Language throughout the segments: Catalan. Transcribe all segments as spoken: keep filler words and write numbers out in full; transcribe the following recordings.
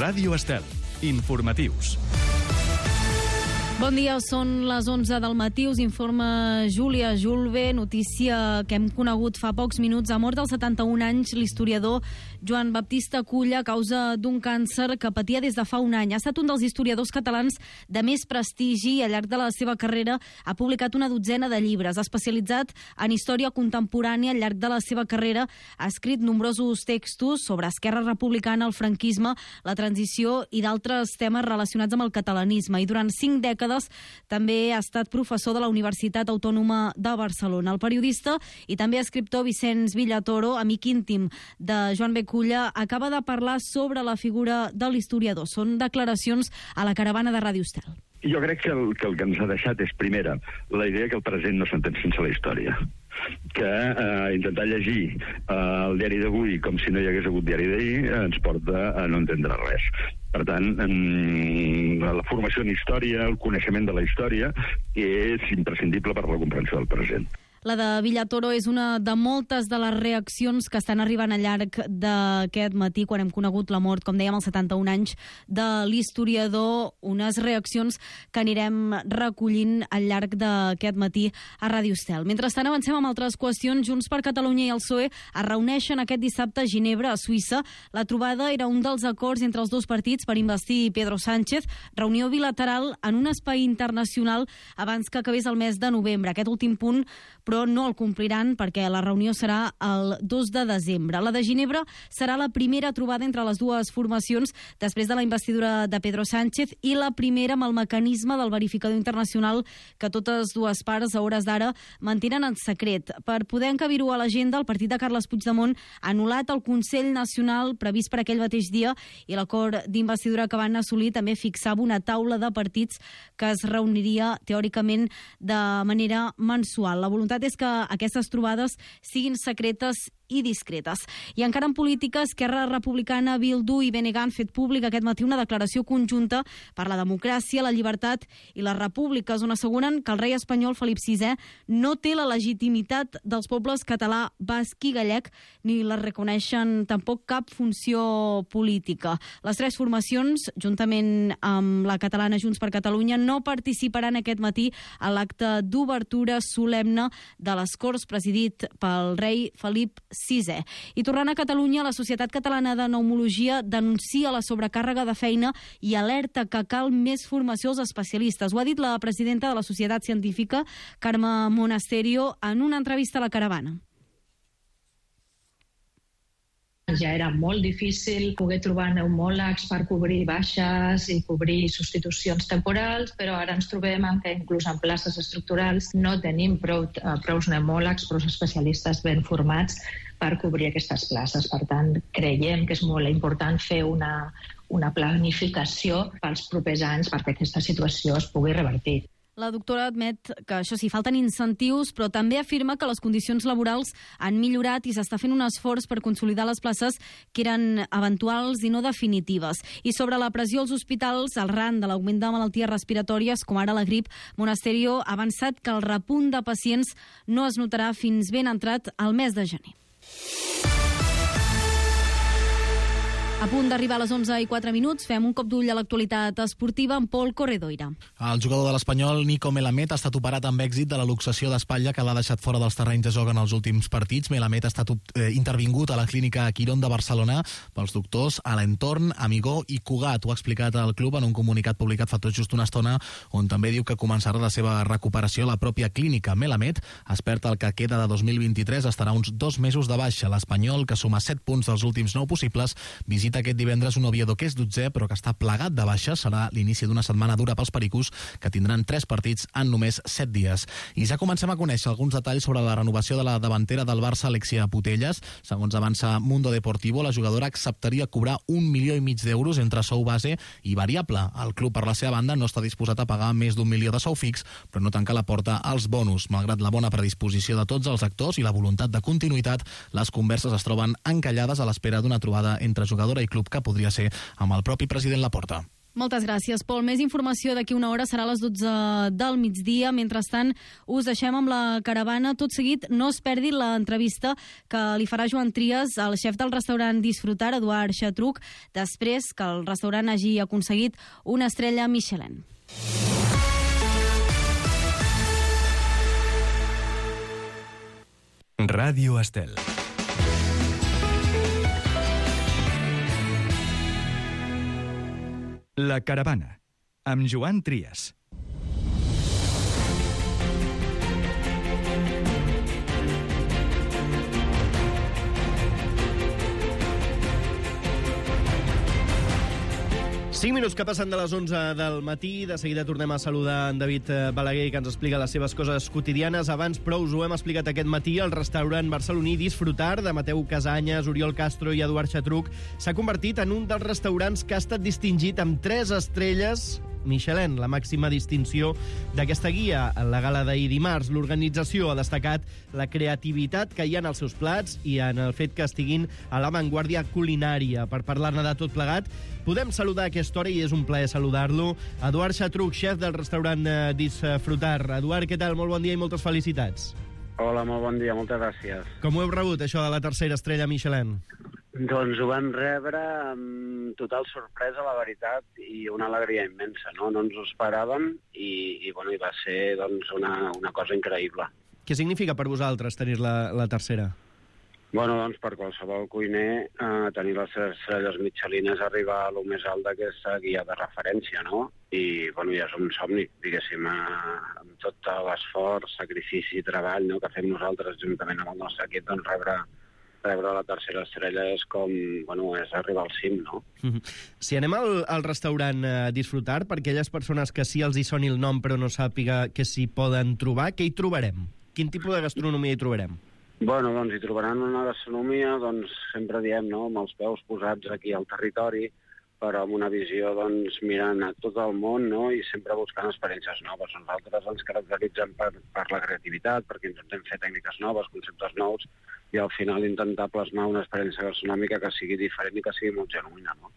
Ràdio Estel. Informatius. Bon dia, són les onze del matí, us informa Júlia Julve, notícia que hem conegut fa pocs minuts. Ha mort als setanta-un anys l'historiador Joan Baptista Culla a causa d'un càncer que patia des de fa un any. Ha estat un dels historiadors catalans de més prestigi i al llarg de la seva carrera ha publicat una dotzena de llibres. Ha especialitzat en història contemporània al llarg de la seva carrera. Ha escrit nombrosos textos sobre Esquerra Republicana, el franquisme, la transició i d'altres temes relacionats amb el catalanisme. I durant cinc dècades també ha estat professor de la Universitat Autònoma de Barcelona. El periodista i també escriptor Vicenç Villatoro, amic íntim de Joan B. Culla, acaba de parlar sobre la figura de l'historiador. Són declaracions a la caravana de Ràdio Estel. Jo crec que el, que el que ens ha deixat és, primera, la idea que el present no s'entén sense la història. Que eh, intentar llegir eh, el diari d'avui com si no hi hagués hagut diari d'ahir eh, ens porta a no entendre res. Per tant, en, la formació en història, el coneixement de la història és imprescindible per a la comprensió del present. La de Villatoro és una de moltes de les reaccions que estan arribant al llarg d'aquest matí, quan hem conegut la mort, com dèiem, als setanta-un anys de l'historiador, unes reaccions que anirem recollint al llarg d'aquest matí a Ràdio Estel. Mentrestant, avancem amb altres qüestions. Junts per Catalunya i el P S O E es reuneixen aquest dissabte a Ginebra, a Suïssa. La trobada era un dels acords entre els dos partits per investir Pedro Sánchez, reunió bilateral en un espai internacional abans que acabés el mes de novembre. Aquest últim punt, però no el compliran perquè la reunió serà el dos de desembre. La de Ginebra serà la primera trobada entre les dues formacions després de la investidura de Pedro Sánchez i la primera amb el mecanisme del verificador internacional que totes dues parts a hores d'ara mantenen en secret. Per poder encabir-ho a l'agenda, el partit de Carles Puigdemont ha anul·lat el Consell Nacional previst per aquell mateix dia i l'acord d'investidura que van assolir també fixava una taula de partits que es reuniria teòricament de manera mensual. La voluntat és que aquestes trobades siguin secretes i discretes. I encara en política, Esquerra Republicana, Bildu i B N G han fet públic aquest matí una declaració conjunta per la democràcia, la llibertat i les repúbliques, on asseguren que el rei espanyol Felip sisè no té la legitimitat dels pobles català, basc i gallec, ni la reconeixen tampoc cap funció política. Les tres formacions, juntament amb la catalana Junts per Catalunya, no participaran aquest matí a l'acte d'obertura solemne de les Corts presidit pel rei Felip sisè. I tornant a Catalunya, la Societat Catalana de Pneumologia denuncia la sobrecàrrega de feina i alerta que cal més formació als especialistes. Ho ha dit la presidenta de la Societat Científica, Carme Monasterio, en una entrevista a la caravana. Ja era molt difícil poder trobar pneumòlegs per cobrir baixes i cobrir substitucions temporals, però ara ens trobem que inclús en places estructurals no tenim prou, prou pneumòlegs, prou especialistes ben formats per cobrir aquestes places. Per tant, creiem que és molt important fer una, una planificació pels propers anys perquè aquesta situació es pugui revertir. La doctora admet que, això sí, falten incentius, però també afirma que les condicions laborals han millorat i s'està fent un esforç per consolidar les places que eren eventuals i no definitives. I sobre la pressió als hospitals, arran de l'augment de malalties respiratòries, com ara la grip, Monasterio ha avançat que el repunt de pacients no es notarà fins ben entrat al mes de gener. A punt d'arribar a les onze i quatre minuts, fem un cop d'ull a l'actualitat esportiva amb Pol Corredoira. El jugador de l'Espanyol, Nico Melamed, ha estat operat amb èxit de la luxació d'espatlla que l'ha deixat fora dels terrenys de joc en els últims partits. Melamed ha estat eh, intervingut a la clínica Quirón de Barcelona pels doctors Alentorn, Amigó i Cugat. Ho ha explicat el club en un comunicat publicat fa tot just una estona, on també diu que començarà la seva recuperació a la pròpia clínica. Melamed, expert el que queda de dos mil vint-i-tres, estarà uns dos mesos de baixa. L'Espanyol, que suma set punts dels últims nou possibles, visita aquest divendres un Oviedo que és dotzè però que està plegat de baixa. Serà l'inici d'una setmana dura pels pericos, que tindran tres partits en només set dies. I ja comencem a conèixer alguns detalls sobre la renovació de la davantera del Barça, Alexia Putellas. Segons avança Mundo Deportivo, la jugadora acceptaria cobrar un milió i mig d'euros entre sou base i variable. El club, per la seva banda, no està disposat a pagar més d'un milió de sou fix, però no tanca la porta als bonus. Malgrat la bona predisposició de tots els actors i la voluntat de continuïtat, les converses es troben encallades a l'espera d'una trobada entre jugadora i club que podria ser amb el propi president Laporta. Moltes gràcies, Pol. Més informació d'aquí una hora, serà a les dotze del migdia. Mentrestant, us deixem amb la caravana. Tot seguit, no es perdi l'entrevista que li farà Joan Trias al xef del restaurant Disfrutar, Eduard Xatruc, després que el restaurant hagi aconseguit una estrella Michelin. Ràdio Estel. La caravana, amb Joan Trias. cinc minuts que passen de les onze del matí. De seguida tornem a saludar en David Balaguer, que ens explica les seves coses quotidianes. Abans, però, us ho hem explicat aquest matí, el restaurant barceloní Disfrutar, de Mateu Casanyes, Oriol Castro i Eduard Xatruc, s'ha convertit en un dels restaurants que ha estat distingit amb tres estrelles Michelin, la màxima distinció d'aquesta guia. En la gala d'ahir dimarts, l'organització ha destacat la creativitat que hi ha en els seus plats i en el fet que estiguin a l'avantguàrdia culinària. Per parlar-ne de tot plegat, podem saludar a aquesta hora, i és un plaer saludar-lo, Eduard Xatruc, xef del restaurant Disfrutar. Eduard, què tal? Molt bon dia i moltes felicitats. Hola, molt bon dia, moltes gràcies. Com ho heu rebut, això de la tercera estrella Michelin? Doncs ho vam rebre amb total sorpresa, la veritat, i una alegria immensa, no? No ens ho esperàvem i, i, bueno, i va ser doncs, una, una cosa increïble. Què significa per vosaltres tenir la, la tercera? Bueno, doncs per qualsevol cuiner eh, tenir les estrelles Michelin és arribar a lo més alt d'aquesta guia de referència, no? I, bueno, ja és un somni, diguéssim, eh, amb tot l'esforç, sacrifici i treball, no?, que fem nosaltres juntament amb el nostre equip, doncs rebre rebre la tercera estrella és com, bueno, és arribar al cim, no? Mm-hmm. Si anem al, al restaurant eh, Disfrutar, per aquelles persones que sí els hi soni el nom però no sàpiga què s'hi poden trobar, què hi trobarem? Quin tipus de gastronomia hi trobarem? Bueno, doncs hi trobaran una gastronomia, doncs sempre diem, no?, amb els peus posats aquí al territori, però amb una visió, doncs, mirant a tot el món, no?, i sempre buscant experiències noves. Nosaltres ens caracteritzem per, per la creativitat, perquè intentem fer tècniques noves, conceptes nous, i al final intentar plasmar una experiència gastronòmica que sigui diferent i que sigui molt genuïna, no?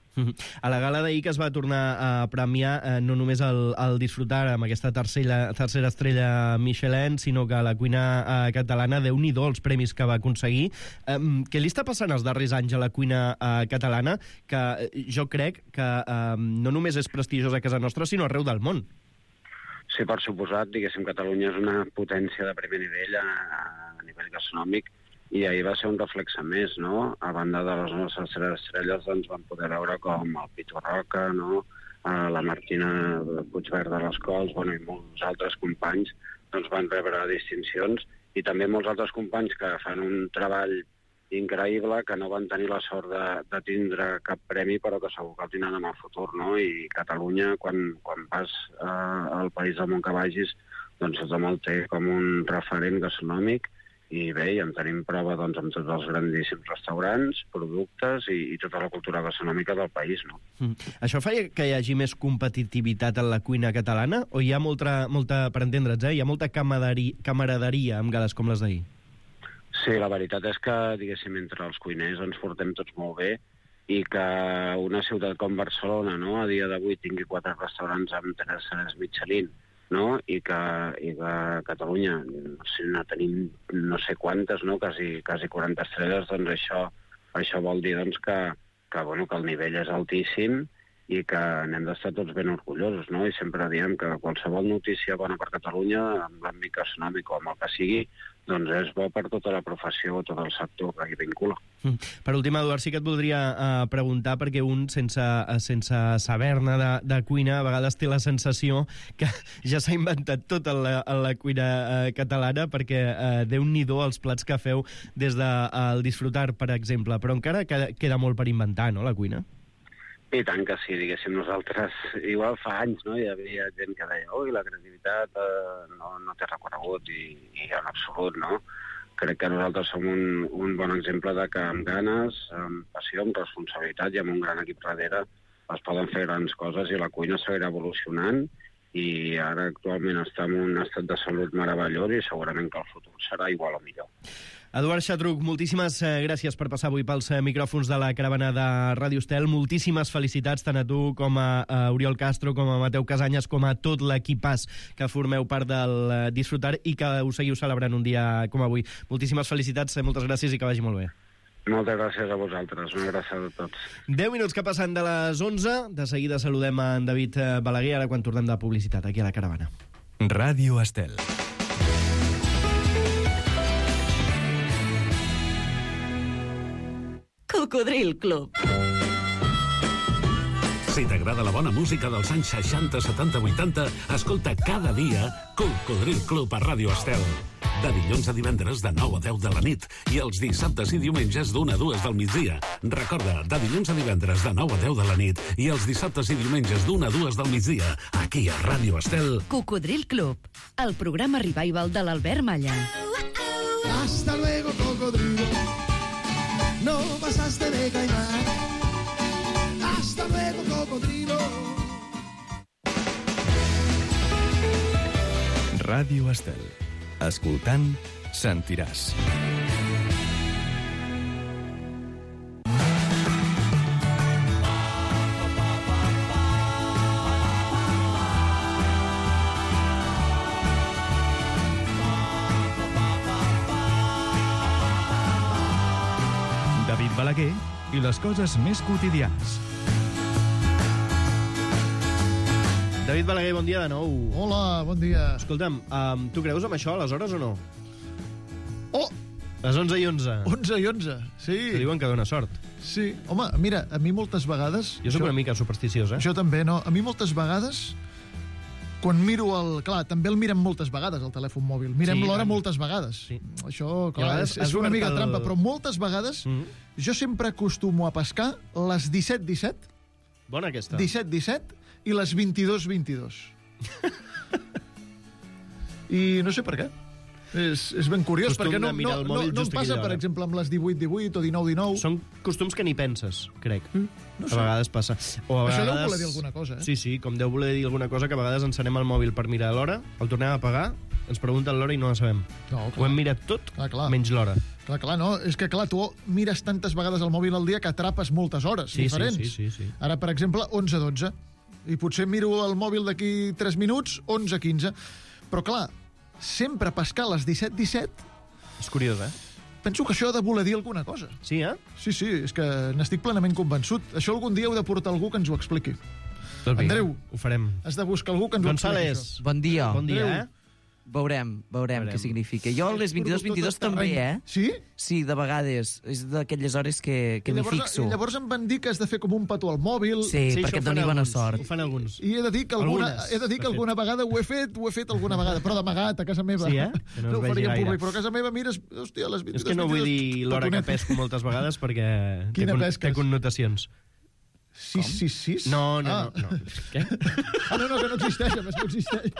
A la gala d'ahir que es va tornar a premiar eh, no només el, el Disfrutar amb aquesta tercera, tercera estrella Michelin, sinó que la cuina eh, catalana, Déu-n'hi-do els premis que va aconseguir. Eh, què li està passant els darrers anys a la cuina eh, catalana, que jo crec que eh, no només és prestigiosa a casa nostra, sinó arreu del món? Sí, per suposat, diguéssim, Catalunya és una potència de primer nivell a, a nivell gastronòmic, i ahir va ser un reflexe més, no? A banda de les nostres tres estrelles, doncs vam poder veure com el Pitu Roca, no?, la Martina Puigverd de les Cols, bueno, i molts altres companys doncs van rebre distincions, i també molts altres companys que fan un treball increïble, que no van tenir la sort de, de tindre cap premi, però que segur que el tindran en el futur, no? I Catalunya, quan, quan vas eh, al país del món que vagis, doncs tothom el té com un referent gastronòmic, i bé, en tenim prova doncs, amb tots els grandíssims restaurants, productes i, i tota la cultura gastronòmica del país, no? Mm. Això fa que hi hagi més competitivitat en la cuina catalana? O hi ha molta, molta per entendre'ns, eh? Hi ha molta camaraderia, camaraderia amb gales com les d'ahir? Sí, la veritat és que, diguéssim, entre els cuiners ens portem tots molt bé, i que una ciutat com Barcelona, no?, a dia d'avui tingui quatre restaurants amb tres estrelles Michelin, no?, i que, i que a Catalunya si no tenim no sé quantes, no?, quasi, quasi quaranta estrelles, doncs això, això vol dir doncs, que, que, bueno, que el nivell és altíssim i que n'hem d'estar tots ben orgullosos, no? I sempre diem que qualsevol notícia bona per Catalunya, amb l'àmbit gastronòmic o amb el que sigui, doncs és bo per tota la professió o tot el sector que hi vincula. Mm. Per últim, Eduard, sí que et voldria uh, preguntar, perquè un, sense, uh, sense saber-ne de, de cuina, a vegades té la sensació que ja s'ha inventat tot en la, en la cuina uh, catalana, perquè uh, Déu-n'hi-do els plats que feu des del de, uh, Disfrutar, per exemple, però encara queda, queda molt per inventar, no?, la cuina? I tant que sí, diguéssim, nosaltres, igual fa anys, no?, hi havia gent que deia ui, la creativitat eh, no, no té recorregut, i, i en absolut, no? Crec que nosaltres som un, un bon exemple de que amb ganes, amb passió, amb responsabilitat i amb un gran equip darrere es poden fer grans coses i la cuina seguirà evolucionant, i ara actualment està en un estat de salut meravellós i segurament que el futur serà igual o millor. Eduard Xatruc, moltíssimes eh, gràcies per passar avui pels eh, micròfons de la caravana de Ràdio Estel. Moltíssimes felicitats tant a tu com a, a Oriol Castro, com a Mateu Casanyes, com a tot l'equipàs que formeu part del eh, Disfrutar i que us seguiu celebrant un dia com avui. Moltíssimes felicitats, eh, moltes gràcies i que vagi molt bé. Moltes gràcies a vosaltres, una abraçada a tots. deu minuts que passen de les onze, de seguida saludem a en David Balaguer, ara quan tornem de publicitat aquí a la caravana. Ràdio Estel. Cocodril Club. Si t'agrada la bona música dels anys seixanta, setanta, vuitanta, escolta cada dia Cocodril Club a Ràdio Estel. De dilluns a divendres de nou a deu de la nit i els dissabtes i diumenges d'una a dues del migdia. Recorda, de dilluns a divendres de nou a deu de la nit i els dissabtes i diumenges d'una a dues del migdia, aquí a Ràdio Estel. Cocodril Club, el programa revival de l'Albert Malla. Hasta luego, cocodrilo. No pasaste de caimán. Hasta luego, cocodrilo. Ràdio Estel. Escoltant, sentiràs. David Balaguer i les coses més quotidianes. David Balaguer, bon dia de nou. Hola, bon dia. Escolta'm, um, tu creus amb això aleshores o no? Oh! Les onze i onze. onze i onze, sí. Que diuen que dona sort. Sí. Home, mira, a mi moltes vegades... Jo sóc això, una mica supersticiós, eh? Això també, no? A mi moltes vegades, quan miro el... Clar, també el mirem moltes vegades, el telèfon mòbil. Mirem Sí, l'hora tant. moltes vegades. Sí. Això, I a clar, vegades és, és has una obert mica el- trampa, però moltes vegades Mm. jo sempre acostumo a pescar les disset disset, Bona aquesta. disset disset i les vint-i-dos vint-i-dos. I no sé per què. És, és ben curiós, Costum perquè no, de mirar no, el no, mòbil no em just passa, aquella per hora. exemple, amb les divuit divuit o dinou dinou. Són costums que ni penses, crec. Mm, no sé. A vegades passa. O a Això vegades... deu voler dir alguna cosa, eh? Sí, sí, com deu voler dir alguna cosa, que a vegades encenem el mòbil per mirar l'hora, el tornem a apagar, ens pregunten l'hora i no la sabem. No, Ho hem mirat tot, Clar, clar. menys l'hora. Clar, clar, no? És que, clar, tu mires tantes vegades el mòbil al dia que atrapes moltes hores Sí, sí, diferents. sí, sí, sí. Ara, per exemple, onze dotze. I potser miro el mòbil d'aquí tres minuts, onze quinze. Però, clar, sempre pescar a les disset disset, És curiós, eh? penso que això ha de voler dir alguna cosa. Sí, eh? Sí, sí, és que n'estic plenament convençut. Això algun dia heu de portar algú que ens ho expliqui. Doncs vinga, Andreu. ho farem. Has de buscar algú que ens ho expliqui, González, això. Bon dia. bon dia, Andreu. eh? Veurem, veurem, Veurem. què significa. Jo a les vint-i-dos vint-i-dos Tot el també, terreny. eh? Sí? Sí, de vegades. És d'aquelles hores que, que I m'hi llavors, fixo. I llavors em van dir que has de fer com un petó al mòbil. Sí, Sí, perquè això ho et fan doni bona alguns, sort. Ho fan alguns. I he de dir que alguna, Algunes, he de dir de que alguna vegada ho he fet, ho he fet alguna vegada, però d'amagat, a casa meva. Sí, eh? Que no es ho vegi faria en gaire. públic, però a casa meva mires, hòstia, a les vint-i-dos És que no vull dir l'hora que pesco moltes vegades perquè té, Quina con pesques? té connotacions. sis sis sis? No, no, ah. no, no. Què? Ah, no, no, que no existeix, a més, no existeix.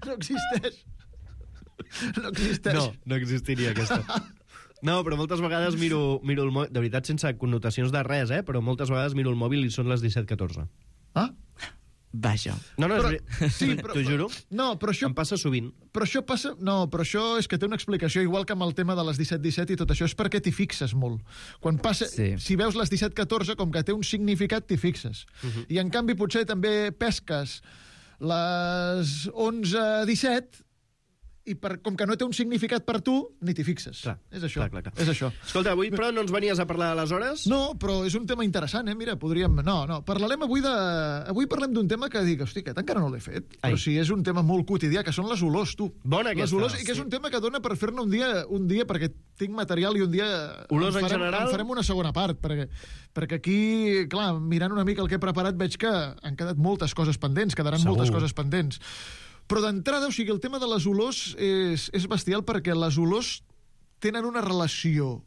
No existeix. No existeix. No, no existiria aquesta. No, però moltes vegades miro, miro el mòbil, de veritat sense connotacions de res, eh? Però moltes vegades miro el mòbil i són les disset catorze. Ah? Vaja. No, no, Però, és veritat. sí, però, T'ho juro. No, però això, Em passa sovint. però això passa... No, però això és que té una explicació, igual que amb el tema de les disset disset i tot això, és perquè t'hi fixes molt. Quan passa... Sí. Si veus les disset catorze, com que té un significat, t'hi fixes. Uh -huh. I, en canvi, potser també pesques les onze disset i per, com que no té un significat per tu, ni t'hi fixes. Clar, és això. clar, clar, clar. És això. Escolta, avui però no ens venies a parlar de les hores? No, però és un tema interessant, eh? Mira, podríem... No, no, parlarem avui de... Avui parlem d'un tema que dic, hosti, aquest encara no l'he fet, Ai. però sí, és un tema molt quotidià, que són les olors, tu. Bona aquesta. Les olors, i que és Sí. un tema que dona per fer-ne un dia, un dia, perquè tinc material i un dia... Olors en farem, general? En farem una segona part, perquè, perquè aquí, clar, mirant una mica el que he preparat, veig que han quedat moltes coses pendents, quedaran Segur. moltes coses pendents. Però d'entrada, o sigui, el tema de les olors és, és bestial perquè les olors tenen una relació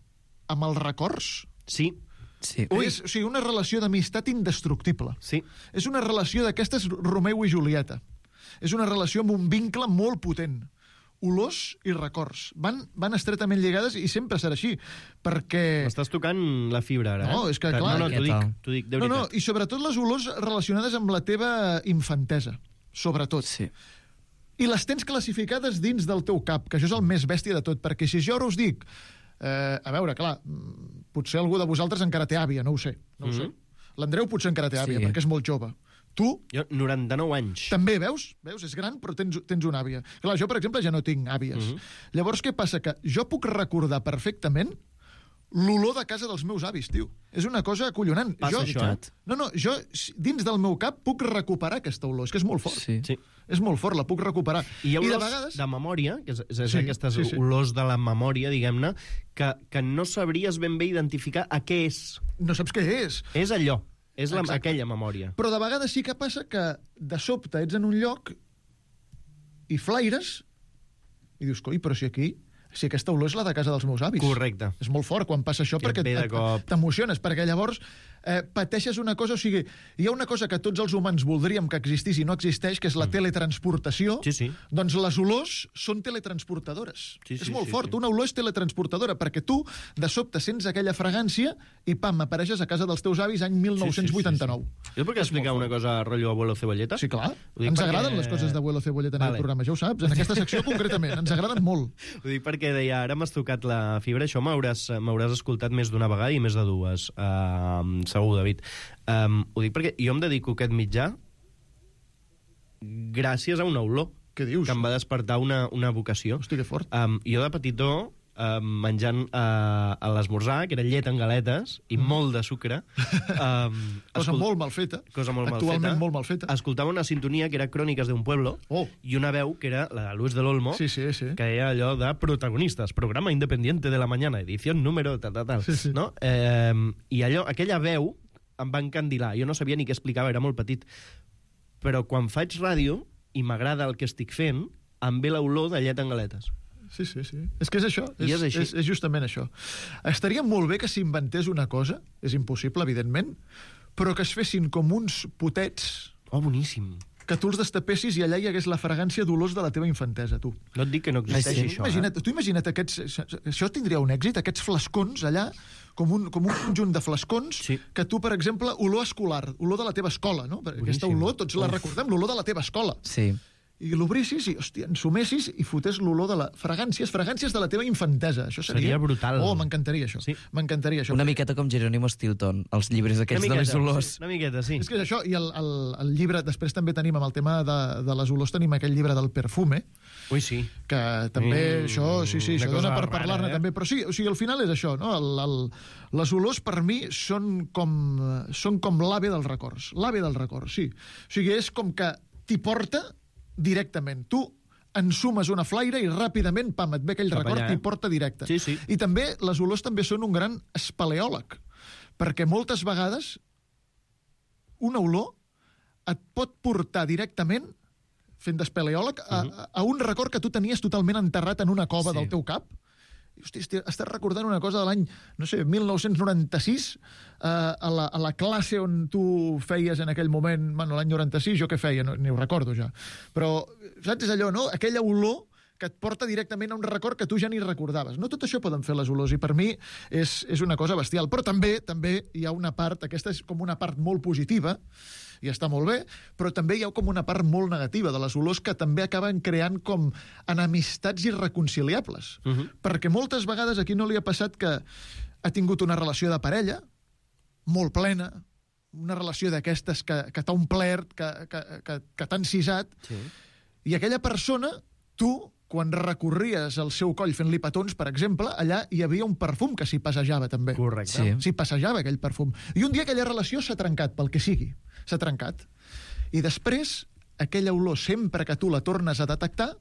amb els records. Sí, Sí. Ui. És, o sigui, una relació d'amistat indestructible. sí. És una relació d'aquestes Romeu i Julieta. És una relació amb un vincle molt potent. Olors i records. Van, van estretament lligades i sempre serà així, perquè... M'estàs tocant la fibra, ara. No, eh? és que, No, clar, no, què t'ho dic, tal? t'ho dic, de No, veritat. no, i sobretot les olors relacionades amb la teva infantesa. Sobretot. Sí. I les tens classificades dins del teu cap, que això és el més bèstia de tot, perquè si jo ara us dic Eh, a veure, clar, potser algú de vosaltres encara té àvia, no ho sé. No ho Mhm. sé. L'Andreu potser encara té àvia, Sí. perquè és molt jove. Tu Jo, noranta-nou anys. també, veus? Veus? És gran, però tens, tens una àvia. Clar, jo, per exemple, ja no tinc àvies. Mhm. Llavors, què passa? Que jo puc recordar perfectament l'olor de casa dels meus avis, tio. És una cosa acollonant. Passa jo, això, eh? No, no, jo, dins del meu cap, puc recuperar aquesta olor. És que és molt fort. Sí. Sí. És molt fort, la puc recuperar. I hi ha I de olors de, vegades... de memòria, que és, és, és Sí, aquestes sí, sí. olors de la memòria, diguem-ne, que, que no sabries ben bé identificar a què és. No saps què és. És allò, és la, Exacte. aquella memòria. Però de vegades sí que passa que de sobte ets en un lloc i flaires i dius, coi, però si aquí... Si aquesta olor és la de casa dels meus avis. Correcte. És molt fort quan passa això Que perquè et ve de et- cop. t'emociones, perquè llavors eh, pateixes una cosa, o sigui, hi ha una cosa que tots els humans voldríem que existís i no existeix, que és la teletransportació. Sí, sí. Doncs les olors són teletransportadores. Sí, sí, és molt sí, fort. sí. Una olor és teletransportadora, perquè tu, de sobte, sents aquella fragància i, pam, apareixes a casa dels teus avis any mil nou-cents vuitanta-nou. Sí, sí, sí. Jo puc explicar una cosa rotllo abuelo cebolleta? Sí, clar. Ho dic Ens perquè- agraden les coses d'abuelo cebolleta en Vale. el programa, ja ho saps. En aquesta secció, concretament, ens agraden molt. Ho dic perquè deia, ara m'has tocat la fibra, això m'hauràs m'hauràs escoltat més d'una vegada i més de dues, uh, segur, David. Um, ho dic perquè jo em dedico a aquest mitjà gràcies a una olor Què dius? que em va despertar una, una vocació. Hosti, que fort. Um, jo de petitó, um, menjant uh, a l'esmorzar, que era llet en galetes i molt de sucre. Um, Cosa molt mal feta. Cosa molt mal Actualment feta. molt mal feta. Escoltava una sintonia que era Cròniques d'un pueblo Oh. i una veu que era la de Luis del Olmo, Sí, sí, sí. que deia allò de protagonistes, programa independiente de la mañana, edición número tal, tal, tal. Sí, sí. No? Eh, I allò, aquella veu em va encandilar. Jo no sabia ni què explicava, era molt petit. Però quan faig ràdio i m'agrada el que estic fent, em ve l'olor de llet en galetes. Sí, sí, sí. És que és això. I és així. És, és justament això. Estaria molt bé que s'inventés una cosa, és impossible, evidentment, però que es fessin com uns potets Oh, boníssim. que tu els destapessis i allà hi hagués la fragància d'olors de la teva infantesa, tu. No et dic que no existeixi Ai, sí. això, Imagina't, eh? tu imagina't aquests... Això tindria un èxit, aquests flascons allà, com un, com un conjunt de flascons, Sí. que tu, per exemple, olor escolar, olor de la teva escola, no? Perquè aquesta Boníssim. olor tots la recordem, l'olor de la teva escola. Sí. I l'obrissis i, hòstia, ensumessis i fotés l'olor de la... Fragàncies, fragàncies de la teva infantesa. Això seria... Seria brutal. Oh, m'encantaria això. Sí. M'encantaria això. Una miqueta com Jerónimo Stilton, els llibres aquests de les olors. sí, una miqueta, sí. És que és això, i el, el, el llibre, després també tenim amb el tema de, de les olors, tenim aquell llibre del perfume, Ui, sí. que també Mm, això, sí, sí, una això cosa dona per rara, parlar-ne eh? també, però sí, o sigui, al final és això, no? El, el, les olors per mi són com, són com l'ave dels records, l'ave dels records, sí. O sigui, és com que t'hi porta directament. Tu ensumes una flaire i ràpidament, pam, et ve aquell Cap record allà, i eh? porta directe. Sí, sí. I també les olors també són un gran espeleòleg, perquè moltes vegades una olor et pot portar directament, fent d'espeleòleg, a, a, a un record que tu tenies totalment enterrat en una cova Sí. del teu cap. I, hosti, esti- estàs recordant una cosa de l'any, no sé, mil nou-cents noranta-sis, eh, a, la, a la classe on tu feies en aquell moment, bueno, l'any noranta-sis, jo què feia? No, ni ho recordo ja. Però, saps, és allò, no? Aquella olor que et porta directament a un record que tu ja ni recordaves. No tot això poden fer les olors, i per mi és, és una cosa bestial. Però també també hi ha una part, aquesta és com una part molt positiva, i està molt bé, però també hi ha com una part molt negativa de les olors que també acaben creant com enemistats irreconciliables. Uh -huh. Perquè moltes vegades aquí no li ha passat que ha tingut una relació de parella molt plena, una relació d'aquestes que, que t'ha omplert, que, que, que, que t'ha encisat, Sí. i aquella persona, tu, quan recorries el seu coll fent-li petons, per exemple, allà hi havia un perfum que s'hi passejava també. Correcte. Sí. S'hi passejava aquell perfum. I un dia aquella relació s'ha trencat, pel que sigui. S'ha trencat. I després, aquella olor, sempre que tu la tornes a detectar,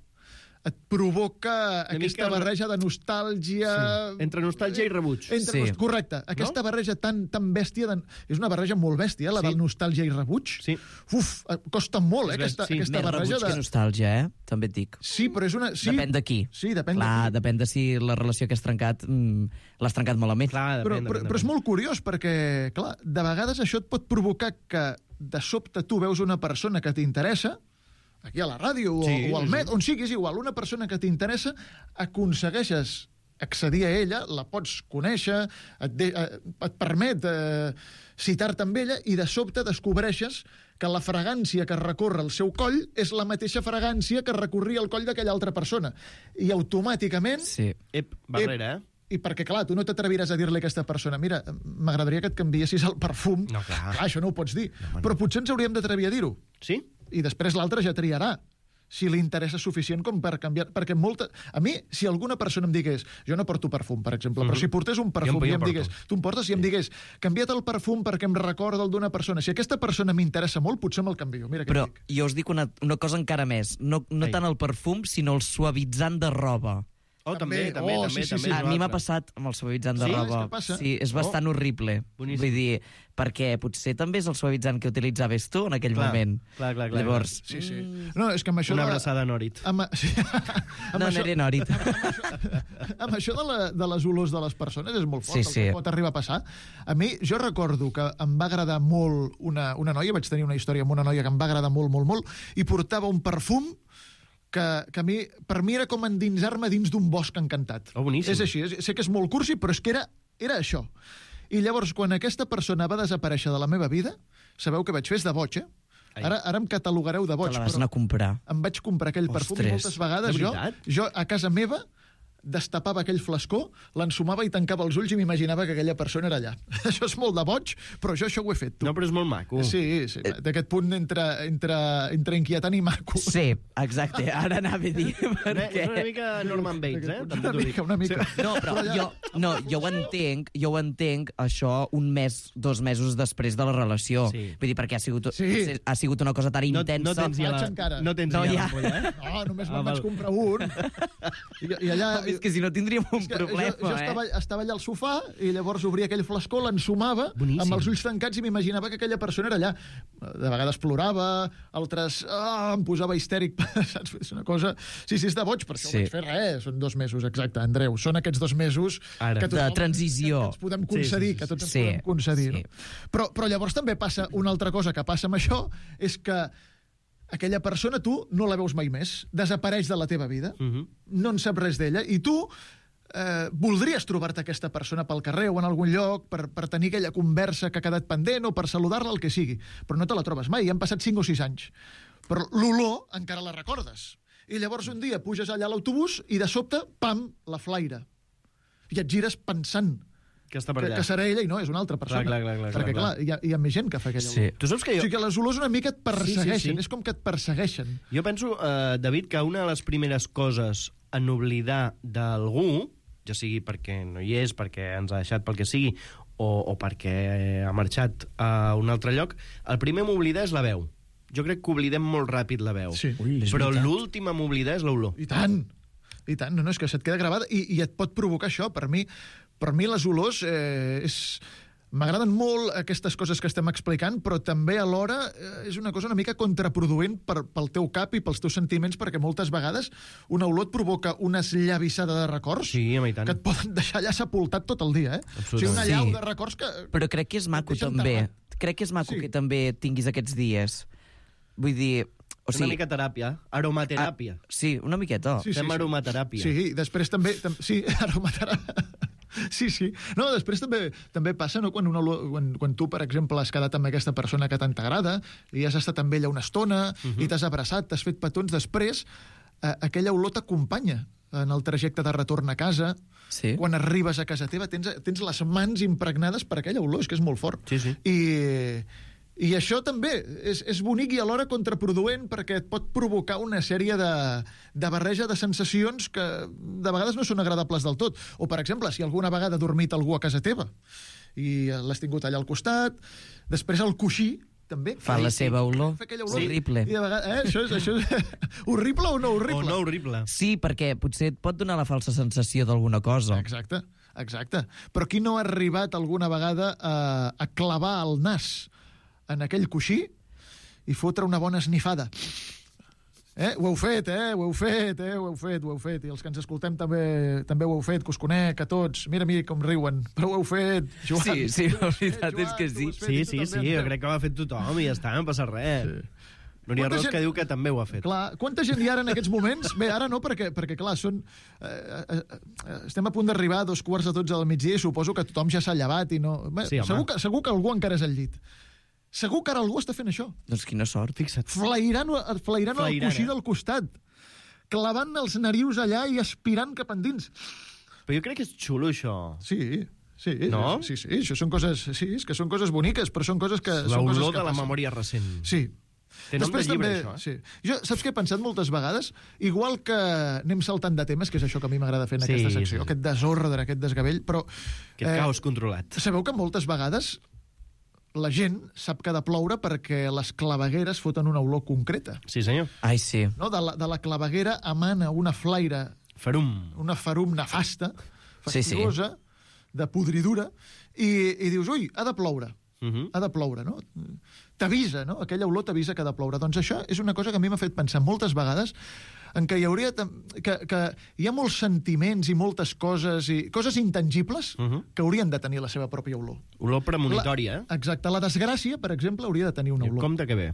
et provoca aquesta mica- barreja de nostàlgia... Sí. Entre nostàlgia i rebuig. Entre Sí. nost- Correcte. Aquesta barreja tan, tan bèstia... De... És una barreja molt bèstia, la Sí. del nostàlgia i rebuig. Sí. Uf, eh, costa molt, eh, És aquesta, bèstia, sí. aquesta Més barreja rebuig que de... nostàlgia, eh? També et dic. Sí, però és una... Sí, Depèn de qui. Sí, depèn Clar, de qui. depèn de si la relació que has trencat mm, l'has trencat malament. Clar, Però, depèn, però, depèn, però és depèn. molt curiós perquè, clar, de vegades això et pot provocar que de sobte tu veus una persona que t'interessa, aquí a la ràdio Sí, o, o al sí, Met, sí. on siguis igual, una persona que t'interessa, aconsegueixes accedir a ella, la pots conèixer, et, de, eh, et permet eh, citar-te amb ella, i de sobte descobreixes que la fragància que recorre el seu coll és la mateixa fragància que recorria el coll d'aquella altra persona. I automàticament... Sí. Ep, barrera, eh? I perquè, clar, tu no t'atreviràs a dir-li a aquesta persona mira, m'agradaria que et canviessis el perfum. No, clar. Clar, això no ho pots dir. No, però potser ens hauríem d'atrevir a dir-ho. Sí? I després l'altre ja triarà si li interessa suficient com per canviar... Perquè molta... A mi, si alguna persona em digués... Jo no porto perfum, per exemple, mm-hmm. però si portés un perfum jo, i jo em digués... porto. Tu em portes i em digués canvia't el perfum perquè em recorda el d'una persona. Si aquesta persona m'interessa molt, potser me'l canvio. Mira què Però dic. jo us dic una, una cosa encara més. No, no Ei. tant el perfum, sinó el suavitzant de roba. Oh, també, també, Oh, també. sí, sí, també sí. és A un mi m'ha altre. passat amb el suavitzant de Sí? roba. És que passa? Sí, és bastant horrible. Boníssim. Vull dir, perquè potser també és el suavitzant que utilitzaves tu en aquell Clar, moment. clar, clar, clar, Llavors, Sí, sí. No, és que amb això... Una de- abraçada a Norit. Amb, sí, amb no, això, no era nòrit. amb això de, la, de les olors de les persones és molt fort, Sí, el sí. que pot arribar a passar. A mi, jo recordo que em va agradar molt una, una noia, vaig tenir una història amb una noia que em va agradar molt, molt, molt, i portava un perfum que, que a mi, per mi era com endinsar-me dins d'un bosc encantat. Oh, boníssim. És així, és, sé que és molt cursi, però és que era, era això. I llavors, quan aquesta persona va desaparèixer de la meva vida, sabeu què vaig fer? És de boig, eh? Ara, ara em catalogareu de boig, Te la vas però anar a comprar. em vaig comprar aquell perfum i Ostres. moltes vegades De jo, veritat? jo a casa meva destapava aquell flascó, l'ensumava i tancava els ulls i m'imaginava que aquella persona era allà. Això és molt de boig, però jo això ho he fet, tu. No, però és molt maco. Sí, sí, d'aquest punt entre, entre, entre inquietant i maco. Sí, exacte. Ara anava a dir. És Perquè... una mica Norman Bates, eh? També Una t'ho dic. mica, una mica. No, però jo, no, jo ho entenc, jo ho entenc, això un mes, dos mesos després de la relació. Sí. Vull dir, perquè ha sigut, Sí. ha sigut una cosa tan No, intensa. no tens ja Vaig la... encara. No tens No, ja ja. l'ampolla, eh? No, només Ah, me'n vaig val. comprar un. I, i allà... És que si no tindríem un És que problema, jo, jo eh? estava, estava allà al sofà i llavors obria aquell flascó, l'ensumava Boníssim. amb els ulls tancats i m'imaginava que aquella persona era allà. De vegades plorava, altres ah, em posava histèric. Saps? És una cosa... Sí, sí, és de boig, per això Sí. ho vaig fer res. Són dos mesos, exacte, Andreu. Són aquests dos mesos Ara. que, De transició. que, que ens podem Sí, concedir, sí, sí, que tots ens sí. podem concedir. Sí. No? Però, però llavors també passa una altra cosa que passa amb això, és que aquella persona tu no la veus mai més, desapareix de la teva vida, Mhm. no en saps res d'ella, i tu eh, voldries trobar-te aquesta persona pel carrer o en algun lloc per, per tenir aquella conversa que ha quedat pendent o per saludar-la, el que sigui, però no te la trobes mai, han passat cinc o sis anys. Però l'olor encara la recordes. I llavors un dia puges allà a l'autobús i de sobte, pam, la flaire. I et gires pensant Que està per que, allà. que serà ella i no, és una altra persona. Clar, clar, clar, clar, Perquè, clar, clar, hi ha, hi ha més gent que fa aquella Sí. olor. Tu saps que jo... O sigui que les olors una mica et persegueixen, Sí, sí, sí. és com que et persegueixen. Jo penso, eh, David, que una de les primeres coses en oblidar d'algú, ja sigui perquè no hi és, perquè ens ha deixat pel que sigui, o, o perquè ha marxat a un altre lloc, el primer a m'oblidar és la veu. Jo crec que oblidem molt ràpid la veu. Sí. Ui, és Però veritat. l'últim a m'oblidar és l'olor. I tant, i tant. No, no, és que se't queda gravada i, i et pot provocar això. Per mi, per mi les olors eh, és... M'agraden molt aquestes coses que estem explicant, però també alhora eh, és una cosa una mica contraproduent per, pel teu cap i pels teus sentiments, perquè moltes vegades una olor et provoca una esllavissada de records Sí, home, i tant. que et poden deixar allà sepultat tot el dia, eh? O sigui, una Sí. llau de records que... Però crec que és maco deixa també. enterrat. Crec que és maco Sí. que també tinguis aquests dies. Vull dir... O Una sigui, mica teràpia, aromateràpia. Ah, sí, una miqueta. Sí, sí, Fem sí. aromateràpia. Sí, després també... tam sí, aromateràpia. Sí, sí. No, després també també passa, no?, quan, una, olor- quan, quan tu, per exemple, has quedat amb aquesta persona que tant t'agrada i has estat amb ella una estona Mhm. i t'has abraçat, t'has fet petons, després eh, aquella olor t'acompanya en el trajecte de retorn a casa. Sí. Quan arribes a casa teva tens, tens les mans impregnades per aquella olor, és que és molt fort. Sí, sí. I, i això també és, és bonic i alhora contraproduent perquè et pot provocar una sèrie de, de barreja de sensacions que de vegades no són agradables del tot. O, per exemple, si alguna vegada ha dormit algú a casa teva i l'has tingut allà al costat, després el coixí també Fa la seva olor. fa aquella olor. Horrible. I de vegades, eh, això és, això és horrible o no horrible? O no horrible. Sí, perquè potser et pot donar la falsa sensació d'alguna cosa. Exacte, exacte. Però qui no ha arribat alguna vegada a, a clavar el nas en aquell coixí i fotre una bona esnifada? Eh? Ho heu fet, eh? Ho heu fet, eh? Ho heu fet, ho heu fet. I els que ens escoltem també també ho heu fet, que us conec a tots. Mira, mira com riuen. Però ho heu fet, Joan. Sí, sí, la veritat Eh, és que Joan, sí. tu ho has fet Sí, i tu sí, també, sí, jo Andreu. crec que ho ha fet tothom i ja està, no passa res. Sí. Núria Quanta Ros gent- que diu que també ho ha fet. Clar, quanta gent hi ha ara en aquests moments? Bé, ara no, perquè, perquè clar, són... Eh, eh, eh, estem a punt d'arribar a dos quarts de dotze del migdia i suposo que tothom ja s'ha llevat i no... Bé, Sí, home. segur, que, segur que algú encara és al llit. Segur que ara algú està fent això. Doncs quina sort. Fixa't. Flairant, flairant el Flairant, coixí eh? del costat, clavant els narius allà i aspirant cap endins. Però jo crec que és xulo, això. Sí, sí. No? Sí, sí, això són coses... Sí, és que són coses boniques, però són coses que... són coses L'olor que de la passen. memòria recent. Sí. Té nom de llibre, també, això, eh? sí. Jo, saps què he pensat moltes vegades? Igual que anem saltant de temes, que és això que a mi m'agrada fer en Sí, aquesta secció, sí. aquest desordre, aquest desgavell, però... Aquest caos controlat. Sabeu que moltes vegades la gent sap que ha de ploure perquè les clavegueres foten una olor concreta. Sí, senyor. Ai, sí. No? De, la, de la claveguera emana una flaire, Ferum. una ferum nefasta, Sí, sí. fastigosa, de podridura, i, i dius, ui, ha de ploure. Uh -huh. Ha de ploure, no? T'avisa, no? Aquella olor t'avisa que ha de ploure. Doncs això és una cosa que a mi m'ha fet pensar moltes vegades en què hi hauria... Que, que hi ha molts sentiments i moltes coses, i coses intangibles Uh -huh. que haurien de tenir la seva pròpia olor. Olor premonitòria, eh? La, exacte. La desgràcia, per exemple, hauria de tenir una olor. Compte que bé.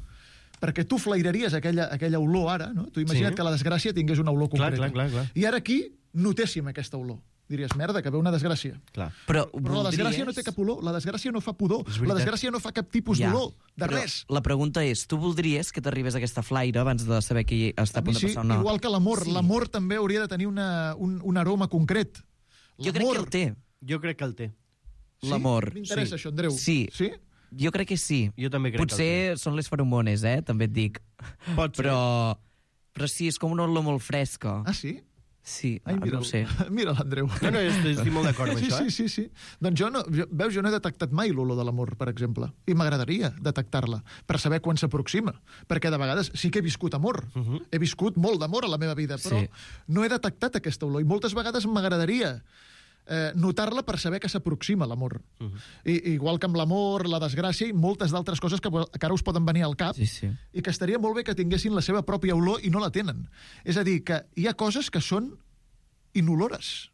Perquè tu flairaries aquella, aquella olor ara, no? Tu imagina't Sí. que la desgràcia tingués una olor Clar, concreta. clar, clar, clar. I ara aquí notéssim aquesta olor. Diries, merda, que ve una desgràcia. Clar. Però, Però la desgràcia voldries- no té cap olor, la desgràcia no fa pudor, És la veritat. desgràcia no fa cap tipus Ja, d'olor, de però res. La pregunta és, tu voldries que t'arribés aquesta flaire abans de saber que està a A mi punt de sí, passar o no? igual que l'amor. Sí. L'amor també hauria de tenir una, un, un aroma concret. Jo crec que el té, Jo crec que el té. Sí? l'amor. M'interessa Sí. això, Andreu. Sí. Sí? Jo crec que sí. Jo també crec Potser són les feromones, eh? També et dic. Pot ser. Però, però sí, és com una olor molt fresca. Ah, sí? Sí, Ai, ah, no ho sé. Mira l'Andreu. No, no, estic, estic molt d'acord amb Sí, això, sí, eh? sí, sí. Doncs jo no, jo, veus, jo no he detectat mai l'olor de l'amor, per exemple. I m'agradaria detectar-la, per saber quan s'aproxima. Perquè de vegades sí que he viscut amor. Uh -huh. He viscut molt d'amor a la meva vida, però Sí. no he detectat aquesta olor. I moltes vegades m'agradaria eh, notar-la per saber que s'aproxima l'amor. Uh -huh. I, igual que amb l'amor, la desgràcia i moltes d'altres coses que, que ara us poden venir al cap Sí, sí. i que estaria molt bé que tinguessin la seva pròpia olor i no la tenen. És a dir, que hi ha coses que són inolores.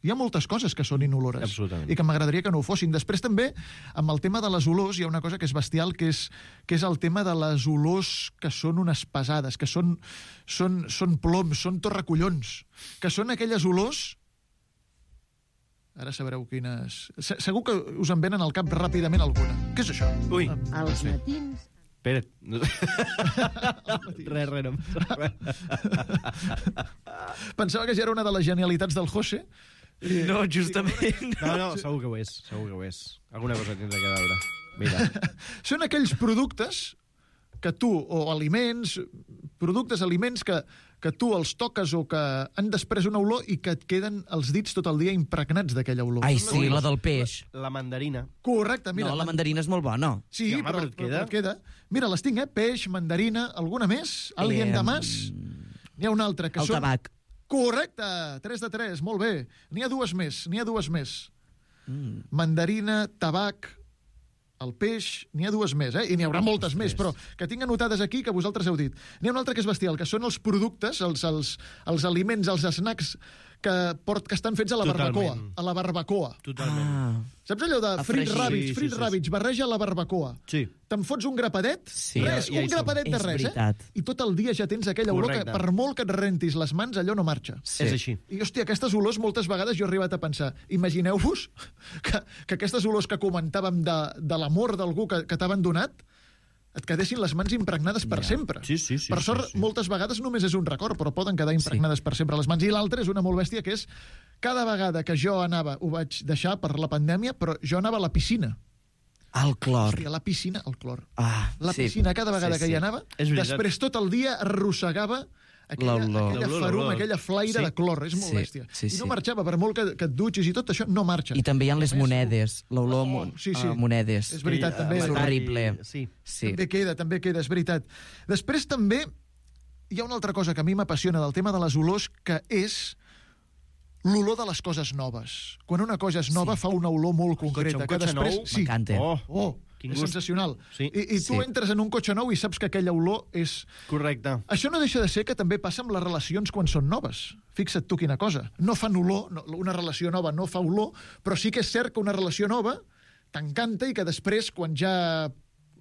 Hi ha moltes coses que són inolores. Absolutament. I que m'agradaria que no ho fossin. Després també, amb el tema de les olors, hi ha una cosa que és bestial, que és, que és el tema de les olors que són unes pesades, que són, són, són ploms, són torracollons, que són aquelles olors... Ara sabreu quines... Se- Segur que us en venen al cap ràpidament alguna. Què és això? Ui, Als matins... espera't. res, res, no. Pensava que ja era una de les genialitats del José. I... No, justament. No, no, segur que ho és, segur que ho és. Alguna cosa tindrà que veure. Mira. Són aquells productes que tu, o aliments, productes, aliments que, que tu els toques o que han després una olor i que et queden els dits tot el dia impregnats d'aquella olor. Ai, Són sí, les- la del peix. La mandarina. Correcte, mira. No, la mandarina és molt bona. Sí, Sí, home, però, però et però, queda. et queda. Mira, les tinc, eh? Peix, mandarina, alguna més? Alien Eh, de mas? N'hi ha una altra que El són... tabac. Correcte, tres de tres, molt bé. N'hi ha dues més, n'hi ha dues més. Mm. Mandarina, tabac, el peix, n'hi ha dues més, eh? I n'hi haurà moltes més, però que tinc anotades aquí que vosaltres heu dit. N'hi ha una altra que és bestial, que són els productes, els, els, els aliments, els snacks que, port, que estan fets a la Totalment. barbacoa. A la barbacoa. Totalment. Ah, Saps allò de A frits fregir. ràbits, Sí, sí, frits sí, sí. ràbits, barreja a la barbacoa. Sí. Te'n fots un grapadet? Sí. Res, Ja- ja hi un som. grapadet de És res, veritat. eh? I tot el dia ja tens aquella olor que Correcte. per molt que et rentis les mans, allò no marxa. sí. És així. I, hòstia, aquestes olors moltes vegades jo he arribat a pensar, imagineu-vos que, que aquestes olors que comentàvem de, de l'amor d'algú que, que t'ha abandonat et quedessin les mans impregnades per Ja. sempre. Sí, sí, sí, per sort, sí, sí. moltes vegades només és un record, però poden quedar impregnades per sempre les mans. I l'altra és una molt bèstia, que és cada vegada que jo anava, ho vaig deixar per la pandèmia, però jo anava a la piscina. El clor. Hòstia, la piscina, el clor. Ah, La sí. piscina, cada vegada Sí, que sí. hi anava, És veritat. després tot el dia arrossegava aquella, L'olor. aquella L'olor, ferum, l'olor. aquella flaire Sí. de clor. És molt Sí, bèstia. sí, I sí. no marxava, per molt que, que et dutxis i tot això, no marxa. I també hi ha les A més, monedes, l'olor Oh, a mon- sí, sí. a monedes. És veritat, I, també. eh, És metall, horrible. Sí. Sí. També queda, també queda, és veritat. Després també hi ha una altra cosa que a mi m'apassiona del tema de les olors, que és l'olor de les coses noves. Quan una cosa és nova, Sí. fa una olor molt concreta. un que cotxe després... nou, sí. m'encanta. Oh, Oh, Quin és gust. sensacional. Sí. I, I tu Sí. entres en un cotxe nou i saps que aquella olor és... correcte. Això no deixa de ser que també passa amb les relacions quan són noves. Fixa't tu quina cosa. No fan olor, no, una relació nova no fa olor, però sí que és cert que una relació nova t'encanta i que després, quan ja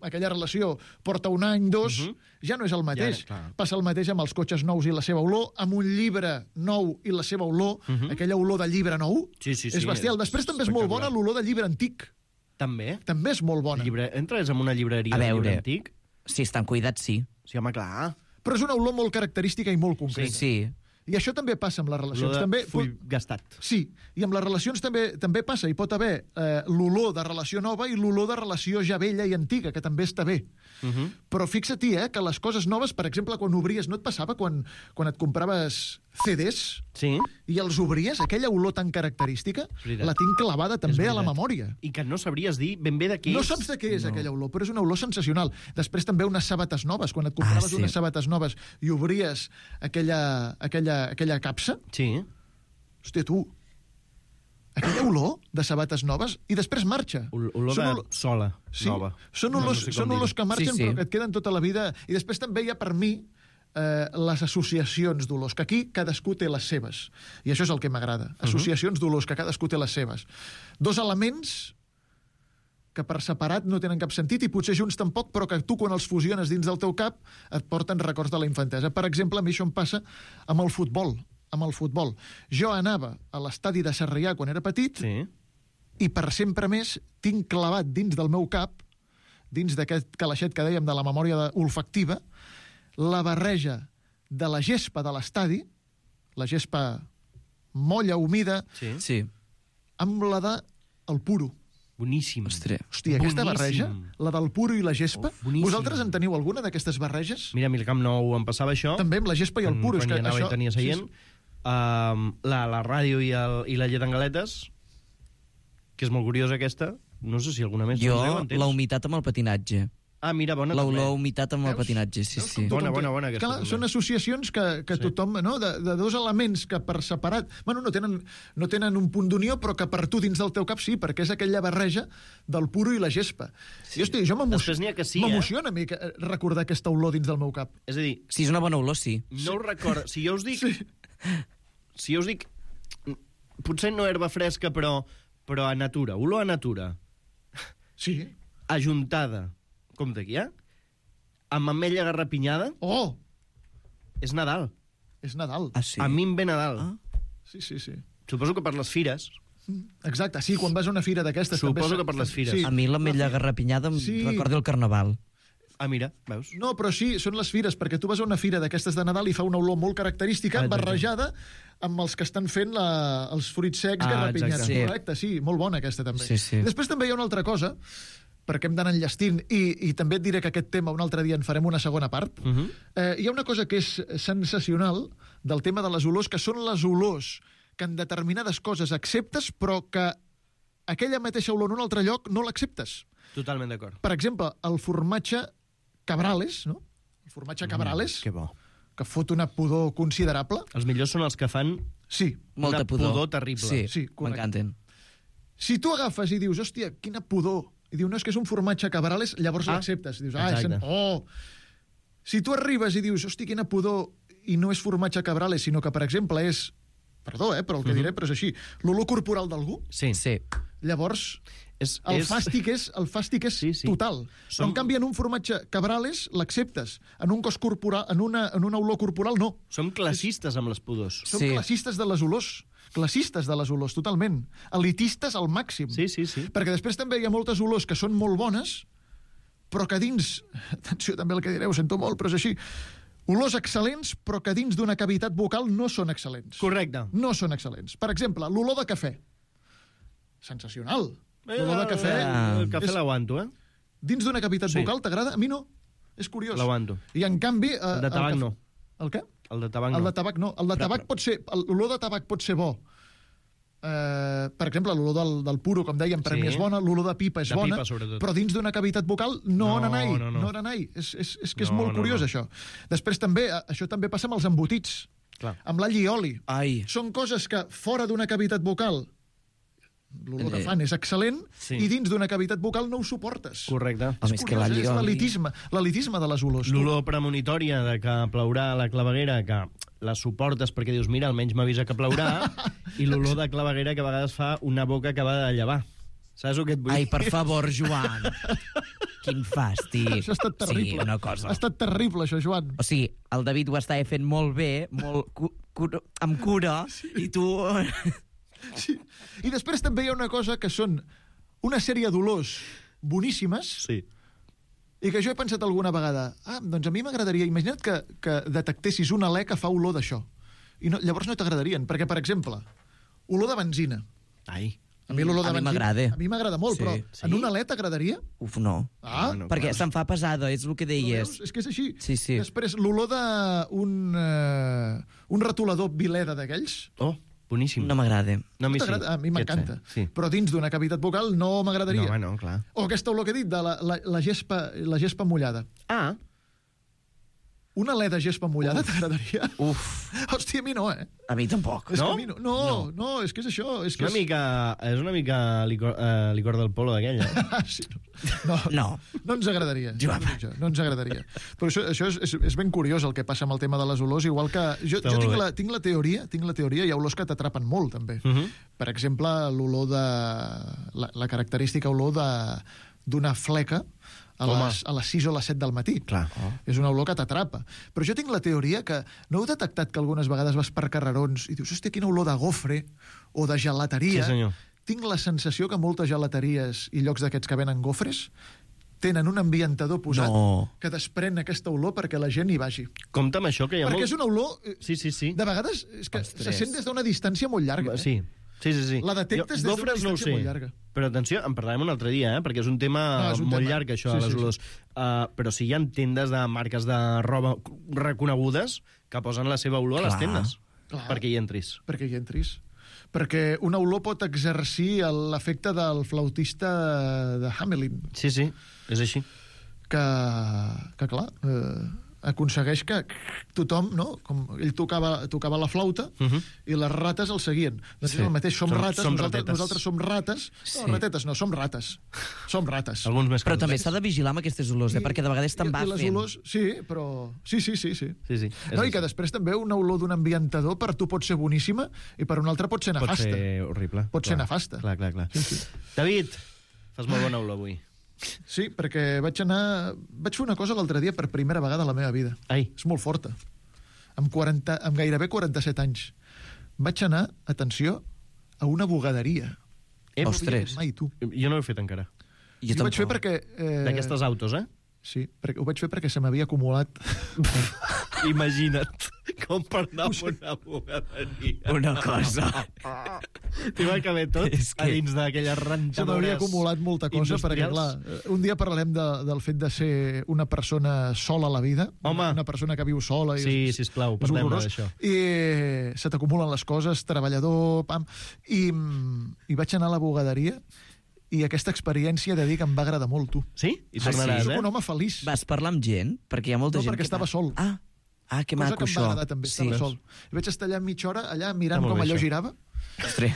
aquella relació porta un any, dos, Mhm. ja no és el mateix. Ja, clar. Passa el mateix amb els cotxes nous i la seva olor, amb un llibre nou i la seva olor, Mhm. aquella olor de llibre nou, Sí, sí, sí, és bestial. és Després també és molt bona espectacular. l'olor de llibre antic. També. També és molt bona. Llibre... Entres en una llibreria A de llibre veure. antic? Si estan cuidats, sí. Sí, home, clar. Però és una olor molt característica i molt concreta. Sí. I això també passa amb les relacions. Olor de també, full gastat. Sí, i amb les relacions també també passa. Hi pot haver eh, l'olor de relació nova i l'olor de relació ja vella i antiga, que també està bé. Uh -huh. Però fixa-t'hi, eh, que les coses noves, per exemple, quan obries, no et passava quan, quan et compraves C Ds sí. i els obries, aquella olor tan característica, la tinc clavada també a la memòria. I que no sabries dir ben bé de què no és. No saps de què és no. aquella olor, però és una olor sensacional. Després també unes sabates noves, quan et compraves Ah, sí. unes sabates noves i obries aquella, aquella, aquella capsa. Sí. Hòstia, tu, aquella olor de sabates noves i després marxa. Ol olor Són de olor... sola Sí, nova. són No, olors, no sé són com olors dir-ho. que marxen Sí, sí. però que et queden tota la vida. I després també hi ha, per mi, eh, les associacions d'olors, que aquí cadascú té les seves. I això és el que m'agrada. Associacions d'olors, que cadascú té les seves. Dos elements que per separat no tenen cap sentit i potser junts tampoc, però que tu quan els fusiones dins del teu cap et porten records de la infantesa. Per exemple, a mi això em passa amb el futbol. Amb el futbol. Jo anava a l'estadi de Sarrià quan era petit sí. i per sempre més tinc clavat dins del meu cap, dins d'aquest calaixet que dèiem de la memòria olfactiva, la barreja de la gespa de l'estadi, la gespa molla, humida, Sí. Sí. amb la de el puro. Boníssim. Ostres. Hòstia, aquesta Boníssim. barreja, la del puro i la gespa, Oh, boníssim. vosaltres en teniu alguna d'aquestes barreges? Mira, a mi al Camp Nou em passava això. També amb la gespa i el puro. Quan és hi que anava això... i tenia seient. Sí, Um, la, la ràdio i, el, i la llet en galetes, que és molt curiosa aquesta. No sé si alguna més. Jo, no sé, la humitat amb el patinatge. Ah, mira, bona La també. olor humitat amb el Veus? patinatge, sí, Veus sí. com Bona, tothom té- bona, bona, aquesta Clar, també. són associacions que, que Sí. tothom, no? De, de dos elements que per separat, bueno, no tenen, no tenen un punt d'unió, però que per tu dins del teu cap sí, perquè és aquella barreja del puro i la gespa. Sí. Jo, hosti, jo Després n'hi ha que sí, eh? m'emociona a mi que- recordar aquesta olor dins del meu cap. És a dir, Si és una bona olor, sí. no ho recordo. Si jo us dic... Si jo us dic... Potser no herba fresca, però, però a natura. Olor a natura. Sí. Ajuntada. Compte aquí, eh? Amb ametlla garrapinyada. Oh! És Nadal. És Nadal. Ah, sí? A mi em ve Nadal. Ah. Sí, sí, sí. Suposo que per les fires. Exacte, sí, quan vas a una fira d'aquestes... Suposo també... que per les fires. Sí. A mi l'ametlla garrapinyada em Sí. recorda el carnaval. Ah, mira, veus? No, però sí, són les fires, perquè tu vas a una fira d'aquestes de Nadal i fa una olor molt característica, Ah, exacte. barrejada amb els que estan fent la, els fruits secs Ah, garrapinyats. exacte. Sí. Correcte, sí, molt bona aquesta també. Sí, sí. Després també hi ha una altra cosa, perquè hem d'anar enllestint, i, i també et diré que aquest tema un altre dia en farem una segona part. Uh -huh. eh, hi ha una cosa que és sensacional del tema de les olors, que són les olors que en determinades coses acceptes, però que aquella mateixa olor en un altre lloc no l'acceptes. Totalment d'acord. Per exemple, el formatge Cabrales, no? El formatge Cabrales, Mm, que bo. que fot una pudor considerable. Els millors són els que fan Sí, Molta una pudor. pudor terrible. Sí, Sí, correcte. m'encanten. si tu agafes i dius, hòstia, quina pudor, i diu, no, és que és un formatge Cabrales, llavors Ah, l'acceptes. Dius, ah, és... exacte. Oh! Si tu arribes i dius, hòstia, quina pudor, i no és formatge Cabrales, sinó que, per exemple, és... Perdó, eh, però el que Mhm. diré, però és així. L'olor corporal d'algú, Sí. Sí. llavors És, el és... fàstic és, el fàstic és Sí, sí. total. Som... Som- En canvi, en un formatge Cabrales l'acceptes. En un cos corporal, en una, en una olor corporal, no. Som classistes amb les pudors. Som Sí. classistes de les olors. Classistes de les olors, totalment. Elitistes al màxim. Sí, sí, sí. Perquè després també hi ha moltes olors que són molt bones, però que dins... Atenció també el que direu, sento molt, però és així. Olors excel·lents, però que dins d'una cavitat vocal no són excel·lents. Correcte. No són excel·lents. Per exemple, l'olor de cafè. Sensacional. L'olor de cafè... Eh, El cafè és- l'aguanto, eh? Dins d'una cavitat Sí. vocal, t'agrada? A mi no. És curiós. L'aguanto. I en canvi... Eh, El de tabac cafè- no. El què? El de tabac no. El de tabac no. El de Però- tabac pot ser... L'olor de tabac pot ser bo. Eh, per exemple, l'olor del, del puro, com dèiem, per Sí. mi és bona, l'olor de pipa és De bona, pipa, sobretot. però dins d'una cavitat vocal no, No, nanai, no, no. no nanai. És, és, és que és No, molt no, curiós, no. això. Després també, eh, això també passa amb els embotits, Clar. amb l'all i oli. Ai. Són coses que fora d'una cavitat vocal l'olor que Eh, fan és excel·lent, sí. i dins d'una cavitat vocal no ho suportes. Correcte. A més que Curiós, l'all eh? i És oli- l'elitisme, l'elitisme de les olors. tu. L'olor premonitòria de que plourà a la claveguera, que la suportes perquè dius, mira, almenys m'avisa que plourà, i l'olor de claveguera que a vegades fa una boca que va de llevar. Saps el que et vull Ai, dir? per favor, Joan. Quin fàstic. Això ha estat terrible. Sí, una cosa. Ha estat terrible, això, Joan. O sigui, el David ho estava fent molt bé, molt cu cu amb cura, sí. i tu... Sí. I després també hi ha una cosa que són una sèrie d'olors boníssimes, Sí. i que jo he pensat alguna vegada, ah, doncs a mi m'agradaria, imagina't que, que detectessis un alè que fa olor d'això. i no, llavors no t'agradarien, perquè, per exemple, olor de benzina. Ai. A mi l'olor de A mi benzina... m'agrada. A mi m'agrada molt, Sí. però Sí? en un alè t'agradaria? Uf, no. Ah, Bueno, Perquè clar. se'n fa pesada, és el que No deies. veus? És que és així. Sí, sí. Després, l'olor d'un uh, un retolador Vileda d'aquells... Oh, boníssim. No m'agrada. No, a mi sí. t'agrada? A mi Què et m'encanta. sé? Sí. Però dins d'una cavitat bucal no m'agradaria. No, home, no, clar. O aquesta olor que he dit, de la, la, la, gespa, la gespa mullada. Ah, Una alè de gespa mullada t'agradaria? Uf, Hòstia, a mi no, eh? a mi tampoc. És No? que a mi no, no, no, no, és que és això. És que una mica, és una mica licor, uh, licor del polo d'aquella. és... sí, no. No, No. no ens agradaria. Joan. Jo, no ens agradaria. Però això, això és, és, és ben curiós el que passa amb el tema de les olors, igual que... Jo, Està jo molt tinc, bé. la, tinc la teoria, tinc la teoria, hi ha olors que t'atrapen molt, també. Uh -huh. Per exemple, l'olor de... La, la característica olor de d'una fleca a Home. les, a les sis o les set del matí. Clar. Oh. És una olor que t'atrapa. Però jo tinc la teoria que... No heu detectat que algunes vegades vas per carrerons i dius, hòstia, quina olor de gofre o de gelateria? Sí, senyor. Tinc la sensació que moltes gelateries i llocs d'aquests que venen gofres tenen un ambientador posat No. que desprèn aquesta olor perquè la gent hi vagi. Compte amb això, que hi ha Perquè molt... és una olor... eh, Sí, sí, sí. De vegades és que Ostres. se sent des d'una distància molt llarga. Eh? Sí, sí, sí. sí. La detectes Jo, des d'una gofres no ho distància sé. molt llarga. Però atenció, en parlarem un altre dia, eh? Perquè és un tema No, és un molt tema. llarg, això, Sí, de les sí, sí. olors. Uh, però sí hi ha tendes de marques de roba reconegudes que posen la seva olor a les Clar. tendes. Clar. Perquè hi entris. Perquè hi entris. Perquè una olor pot exercir l'efecte del flautista de Hamelin, Sí, sí, és així. que, que clar, eh, aconsegueix que tothom, no? Com ell tocava, tocava la flauta Uh -huh. i les rates el seguien. Doncs Sí. és el mateix, som, Som- rates, som nosaltres, ratetes. nosaltres som rates. Sí. No, ratetes no, som rates. Som rates. Alguns més que Però altres. també s'ha de vigilar amb aquestes olors, eh? perquè de vegades te'n I- va i les fent. olors, sí, però... Sí, sí, sí, sí. Sí, sí. No, és i que així. després també una olor d'un ambientador per tu pot ser boníssima i per un altre pot ser Pot nefasta. ser horrible. Pot ser Clar. nefasta. Clar, clar, clar. Sí, sí. David, fas molt bona olor avui. Sí, perquè vaig anar... Vaig fer una cosa l'altre dia per primera vegada a la meva vida. Ai. És molt forta. Amb, quaranta, amb gairebé quaranta-set anys. Vaig anar, atenció, a una bugaderia. Eh, No ho havia Ostres. fet Mai, tu. Jo no ho he fet encara. I ho vaig fer perquè... Eh, D'aquestes autos, eh? Sí, perquè, ho vaig fer perquè se m'havia acumulat... Imagina't com per anar a una bugaderia. Una cosa. T'hi va caber tot És a que- dins d'aquelles Se rentadores m'havia acumulat molta cosa, perquè, industrials. clar, eh, un dia parlarem de, del fet de ser una persona sola a la vida. Home. Una, una persona que viu sola. I Sí, és, sisplau, és parlem horrorós. d'això. I eh, se t'acumulen les coses, treballador, pam... I, mm, I vaig anar a la bugaderia i aquesta experiència de dir que em va agradar molt, tu. Sí? I Ah, tornaràs, sí? Soc eh? un home feliç. Vas parlar amb gent? Perquè hi ha molta No, gent perquè que estava va- sol. Ah, ah que Cosa maco, que em va això. agradar també, estava sí. sol. I vaig estar allà mitja hora, allà mirant Està molt com bé, allò això. girava. Ostres.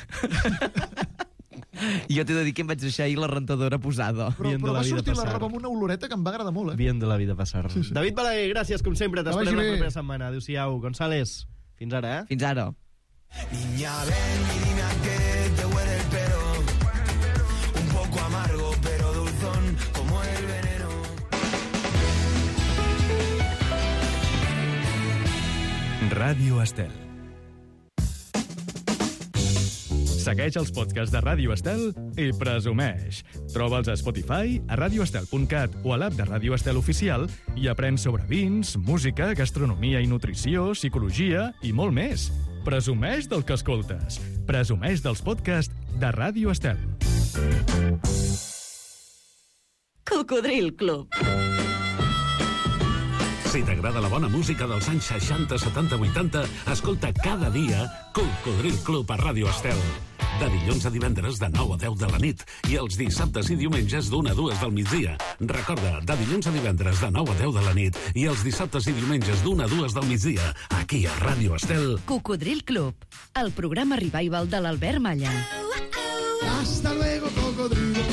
Jo t'he de dir que em vaig deixar ahir la rentadora posada. Però, Bien de però la va vida sortir la passar. roba amb una oloreta que em va agradar molt, eh? Bien de la vida passar. Sí, sí. David Balaguer, gràcies, com sempre. Que T'esperem vagi la bé. propera setmana. Adéu-siau. González, fins ara, eh? Fins ara. Niña, ven y dime a qué te huele el pelo. Un poco amargo, pero dulzón como el veneno. Ràdio Estel. Segueix els podcasts de Ràdio Estel i presumeix. Troba'ls a Spotify, a radioestel punt cat o a l'app de Ràdio Estel Oficial i aprèn sobre vins, música, gastronomia i nutrició, psicologia i molt més. Presumeix del que escoltes. Presumeix dels podcasts de Ràdio Estel. Cocodril Club. Si t'agrada la bona música dels anys seixanta, setanta, vuitanta, escolta cada dia Cocodril Club a Ràdio Estel. De dilluns a divendres de nou a deu de la nit i els dissabtes i diumenges d'una a dues del migdia. Recorda, de dilluns a divendres de nou a deu de la nit i els dissabtes i diumenges d'una a dues del migdia, aquí a Ràdio Estel. Cocodril Club, el programa revival de l'Albert Malla. Hasta luego, cocodrilo.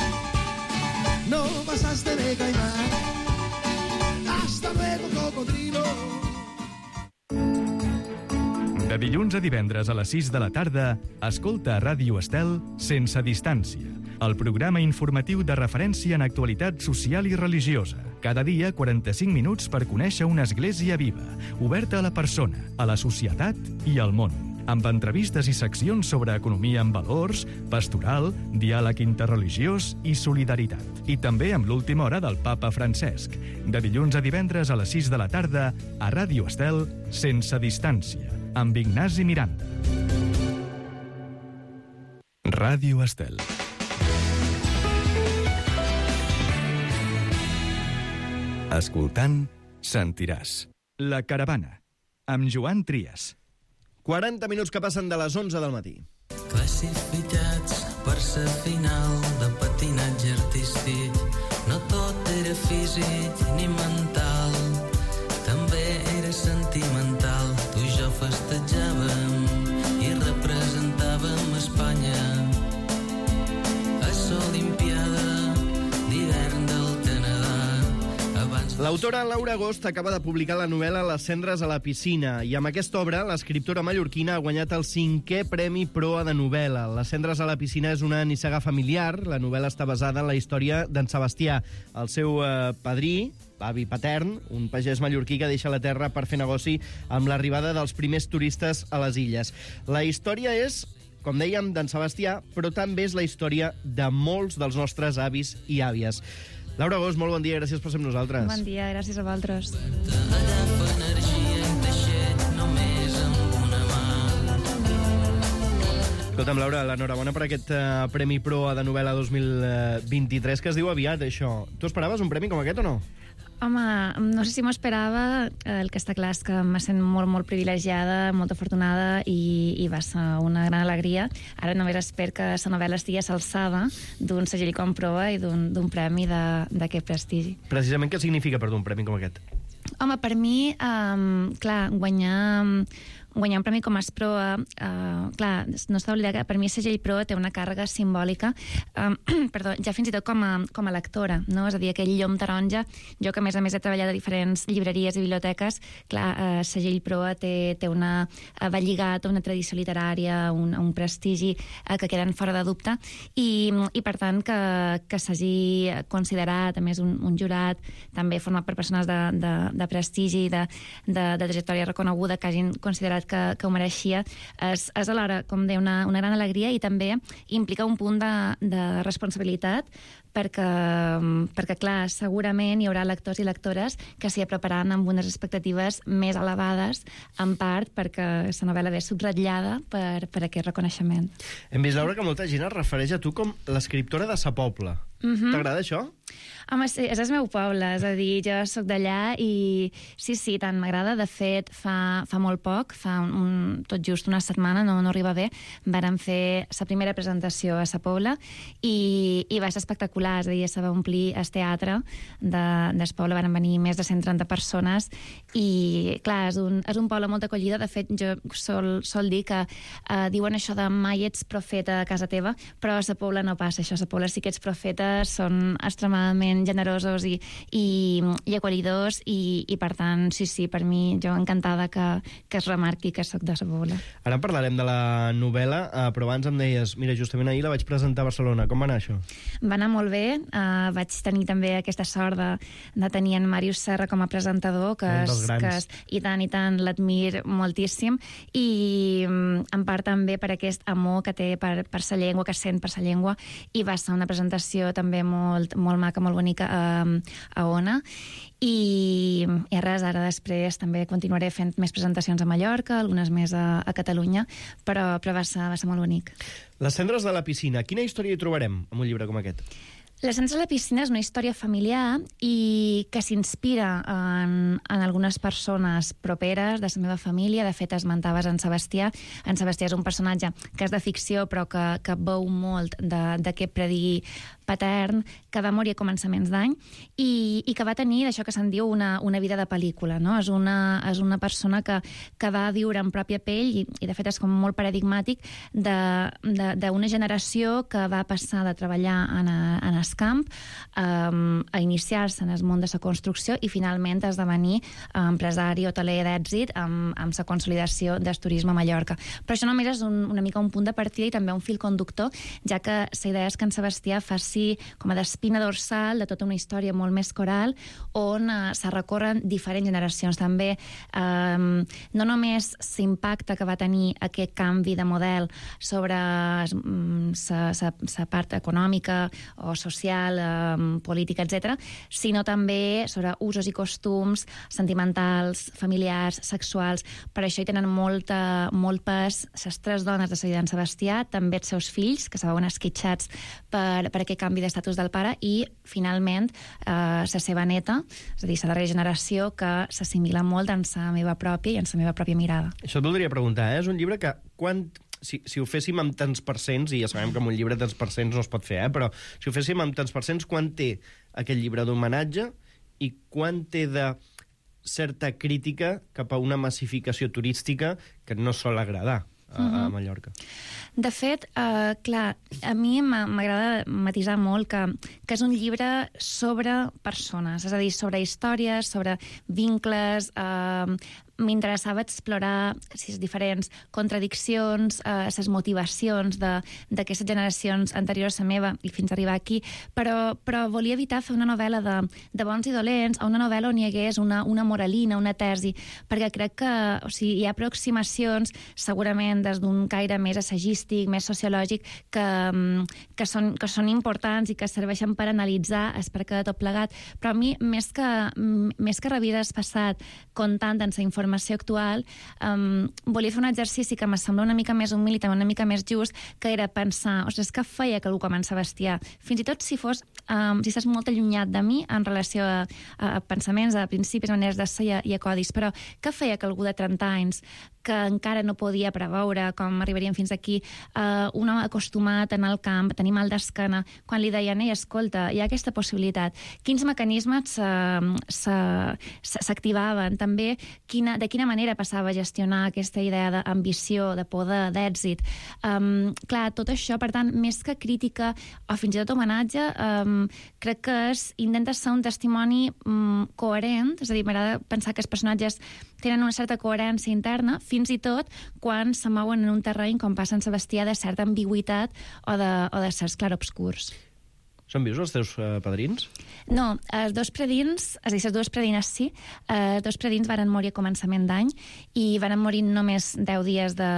No pasaste de caimán. Hasta luego, cocodrilo. De dilluns a divendres a les sis de la tarda, escolta a Ràdio Estel Sense Distància, el programa informatiu de referència en actualitat social i religiosa. Cada dia, quaranta-cinc minuts per conèixer una església viva, oberta a la persona, a la societat i al món, amb entrevistes i seccions sobre economia amb valors, pastoral, diàleg interreligiós i solidaritat. I també amb l'última hora del papa Francesc. De dilluns a divendres a les sis de la tarda, a Ràdio Estel Sense Distància, amb Ignasi Miranda. Ràdio Estel. Escoltant, sentiràs. La Caravana, amb Joan Trias. quaranta minuts que passen de les onze del matí. Classificats per ser final de patinatge artístic. No tot era físic ni mental, també era sentimental. Tu i jo festejàvem i representàvem Espanya a l'Olimpiada d'hivern del Canadà. L'autora Laura Agost acaba de publicar la novel·la Les cendres a la piscina i amb aquesta obra l'escriptora mallorquina ha guanyat el cinquè Premi Proa de novel·la. Les cendres a la piscina és una nissaga familiar. La novel·la està basada en la història d'en Sebastià, el seu eh, padrí, l'avi patern, un pagès mallorquí que deixa la terra per fer negoci amb l'arribada dels primers turistes a les illes. La història és, com dèiem, d'en Sebastià, però també és la història de molts dels nostres avis i àvies. Laura Agost, molt bon dia, gràcies per ser amb nosaltres. Bon dia, gràcies a vosaltres. Escolta'm, Laura, l'enhorabona per aquest uh, Premi Proa de novel·la dos mil vint-i-tres, que es diu aviat, això. Tu esperaves un premi com aquest o no? Home, no sé si m'ho esperava. El que està clar és que me sent molt, molt privilegiada, molt afortunada i, i va ser una gran alegria. Ara només espero que la novel·la estigui a l'alçada d'un segell com Proa i d'un premi d'aquest prestigi. Precisament què significa per tu un premi com aquest? Home, per mi, um, clar, guanyar... guanyar un premi com es Proa, uh, clar, no s'ha d'oblidar que per mi el segell Proa té una càrrega simbòlica, um, perdó, ja fins i tot com a, com a lectora, no? És a dir, aquell llom taronja, jo que a més a més he treballat a diferents llibreries i biblioteques, clar, el uh, segell Proa té, té una, uh, va lligat a una tradició literària, un, un prestigi uh, que queden fora de dubte, i, i per tant que, que s'hagi considerat, a més un, un jurat, també format per persones de, de, de prestigi, de, de, de trajectòria reconeguda, que hagin considerat que, que ho mereixia, és, és alhora, com deia, una, una gran alegria i també implica un punt de, de responsabilitat perquè, perquè, clar, segurament hi haurà lectors i lectores que s'hi prepararan amb unes expectatives més elevades, en part perquè la novel·la ve subratllada per, per aquest reconeixement. Hem vist, Laura, que molta gent es refereix a tu com l'escriptora de sa Pobla. Mm-hmm. T'agrada això? Home, sí, és el meu poble, és a dir, jo sóc d'allà i sí, sí, tant m'agrada. De fet, fa, fa molt poc, fa un, un, tot just una setmana, no, no arriba bé, vàrem fer la primera presentació a sa Pobla i, i va ser espectacular, és a dir, se va omplir el teatre de, del poble, van venir més de cent trenta persones i, clar, és un, és un poble molt acollida. De fet, jo sol, sol dir que eh, diuen això de mai ets profeta a casa teva, però a sa Pobla no passa això, a sa Pobla sí que ets profeta, són extremadament generosos i, i, i acollidors i, i per tant, sí, sí, per mi jo encantada que, que es remarqui que sóc de sa Pobla. Ara en parlarem de la novel·la, eh, però abans em deies, mira, justament ahir la vaig presentar a Barcelona, com va anar això? Va anar molt bé, uh, vaig tenir també aquesta sort de, de tenir en Màrius Serra com a presentador, que, és, que és, i tant i tant l'admir moltíssim i um, en part també per aquest amor que té per, per sa llengua, que sent per sa llengua, i va ser una presentació també molt, molt maca, molt bonica a, a Ona i, i res, ara després també continuaré fent més presentacions a Mallorca, algunes més a, a Catalunya, però, però va, ser, va ser molt bonic. Les cendres de la piscina, quina història hi trobarem en un llibre com aquest? Les cendres de la piscina és una història familiar i que s'inspira en, en algunes persones properes de la meva família. De fet, esmentaves en Sebastià. En Sebastià és un personatge que és de ficció però que, que veu molt d'aquest predigui patern, que va morir a començaments d'any i, i que va tenir això que se'n diu una, una vida de pel·lícula, no? És una, és una persona que, que va viure en pròpia pell i, i de fet és com molt paradigmàtic d'una generació que va passar de treballar en, a, en el camp um, a iniciar-se en el món de la construcció i finalment a esdevenir empresari hoteler d'èxit amb, amb la consolidació del turisme a Mallorca. Però això només és un, una mica un punt de partida i també un fil conductor, ja que la idea és que en Sebastià faci com a d'espina dorsal de tota una història molt més coral on uh, se recorren diferents generacions. També um, no només l'impacte que va tenir aquest canvi de model sobre la um, part econòmica o social social, eh, política, etcètera, sinó també sobre usos i costums sentimentals, familiars, sexuals. Per això hi tenen molta, molt pes les tres dones de la vida d'en Sebastià, també els seus fills, que se veuen esquitxats per, per aquest canvi d'estatus del pare, i, finalment, eh, la seva neta, és a dir, la darrera generació, que s'assimila molt en la meva pròpia i en la meva pròpia mirada. Això et voldria preguntar, eh? És un llibre que quan... Si, si ho féssim amb tants percents, i ja sabem que amb un llibre de tants percents no es pot fer, eh? Però si ho féssim amb tants percents, quan té aquest llibre d'homenatge i quan té de certa crítica cap a una massificació turística que no sol agradar a, uh-huh. a Mallorca? De fet, eh, clar, a mi m'agrada matisar molt que, que és un llibre sobre persones, és a dir, sobre històries, sobre vincles. Eh, M'interessava explorar les diferents contradiccions, eh, les motivacions d'aquestes generacions anteriors a la meva i fins a arribar aquí, però, però volia evitar fer una novel·la de, de bons i dolents, a una novel·la on hi hagués una, una moralina, una tesi, perquè crec que o sigui, hi ha aproximacions, segurament des d'un caire més assagístic, més sociològic, que, que, són, que són importants i que serveixen per analitzar el perquè de tot plegat. Però a mi, més que, més que revisar el passat, comptant en la informació actual, um, volia fer un exercici que me sembla una mica més humil i també una mica més just, que era pensar, ostres, què feia que algú com en Sebastià, fins i tot si fos, um, si estàs molt allunyat de mi en relació a, a pensaments, a principis, maneres de ser i a, i a codis, però què feia que algú de trenta anys que encara no podia preveure com arribaríem fins aquí, uh, un home acostumat a anar al camp, a tenir mal d'esquena, quan li deien, ei, escolta, hi ha aquesta possibilitat, quins mecanismes s'activaven, també quina, de quina manera passava a gestionar aquesta idea d'ambició, de poder, d'èxit. Um, clar, tot això, per tant, més que crítica o fins i tot homenatge, um, crec que és, intenta ser un testimoni um, coherent, és a dir, m'agrada pensar que els personatges tenen una certa coherència interna, fins i tot quan se mouen en un terreny, com passa en Sebastià, de certa ambigüitat o de, o de certs clarobscurs. Són vius els teus uh, padrins? No, els dos predins, és a dir, les dues predines sí, els dos predins varen morir a començament d'any i varen morir només deu dies de,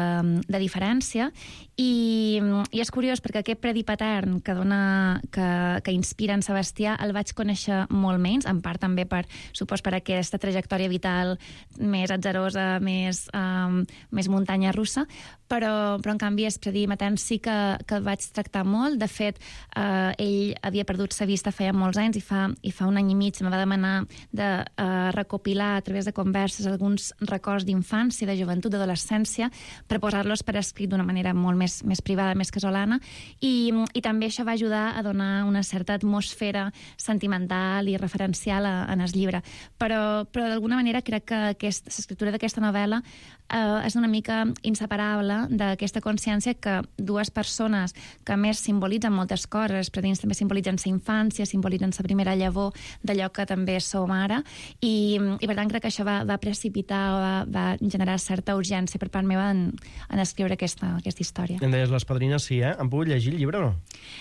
de diferència, i, i és curiós perquè aquest predi patern que, dona, que, que inspira en Sebastià el vaig conèixer molt menys, en part també per, supos, per aquesta trajectòria vital més atzerosa, més, um, més muntanya russa, però, però en canvi el predi matern sí que, que el vaig tractar molt. De fet, eh, ell havia perdut la vista feia molts anys i fa, i fa un any i mig me va demanar de uh, recopilar a través de converses alguns records d'infància, de joventut, d'adolescència, per posar-los per escrit d'una manera molt més, més privada, més casolana, i, i també això va ajudar a donar una certa atmosfera sentimental i referencial a, en el llibre. Però, però d'alguna manera crec que aquest, l'escriptura d'aquesta novel·la eh, és una mica inseparable d'aquesta consciència que dues persones que més simbolitzen moltes coses, els predins també simbolitzen la infància, simbolitzen la primera llavor d'allò que també som ara, i, i per tant crec que això va, va precipitar o va, va generar certa urgència per part meva en, en escriure aquesta, aquesta història. Em deies les padrines, sí, eh? Han pogut llegir el llibre o no?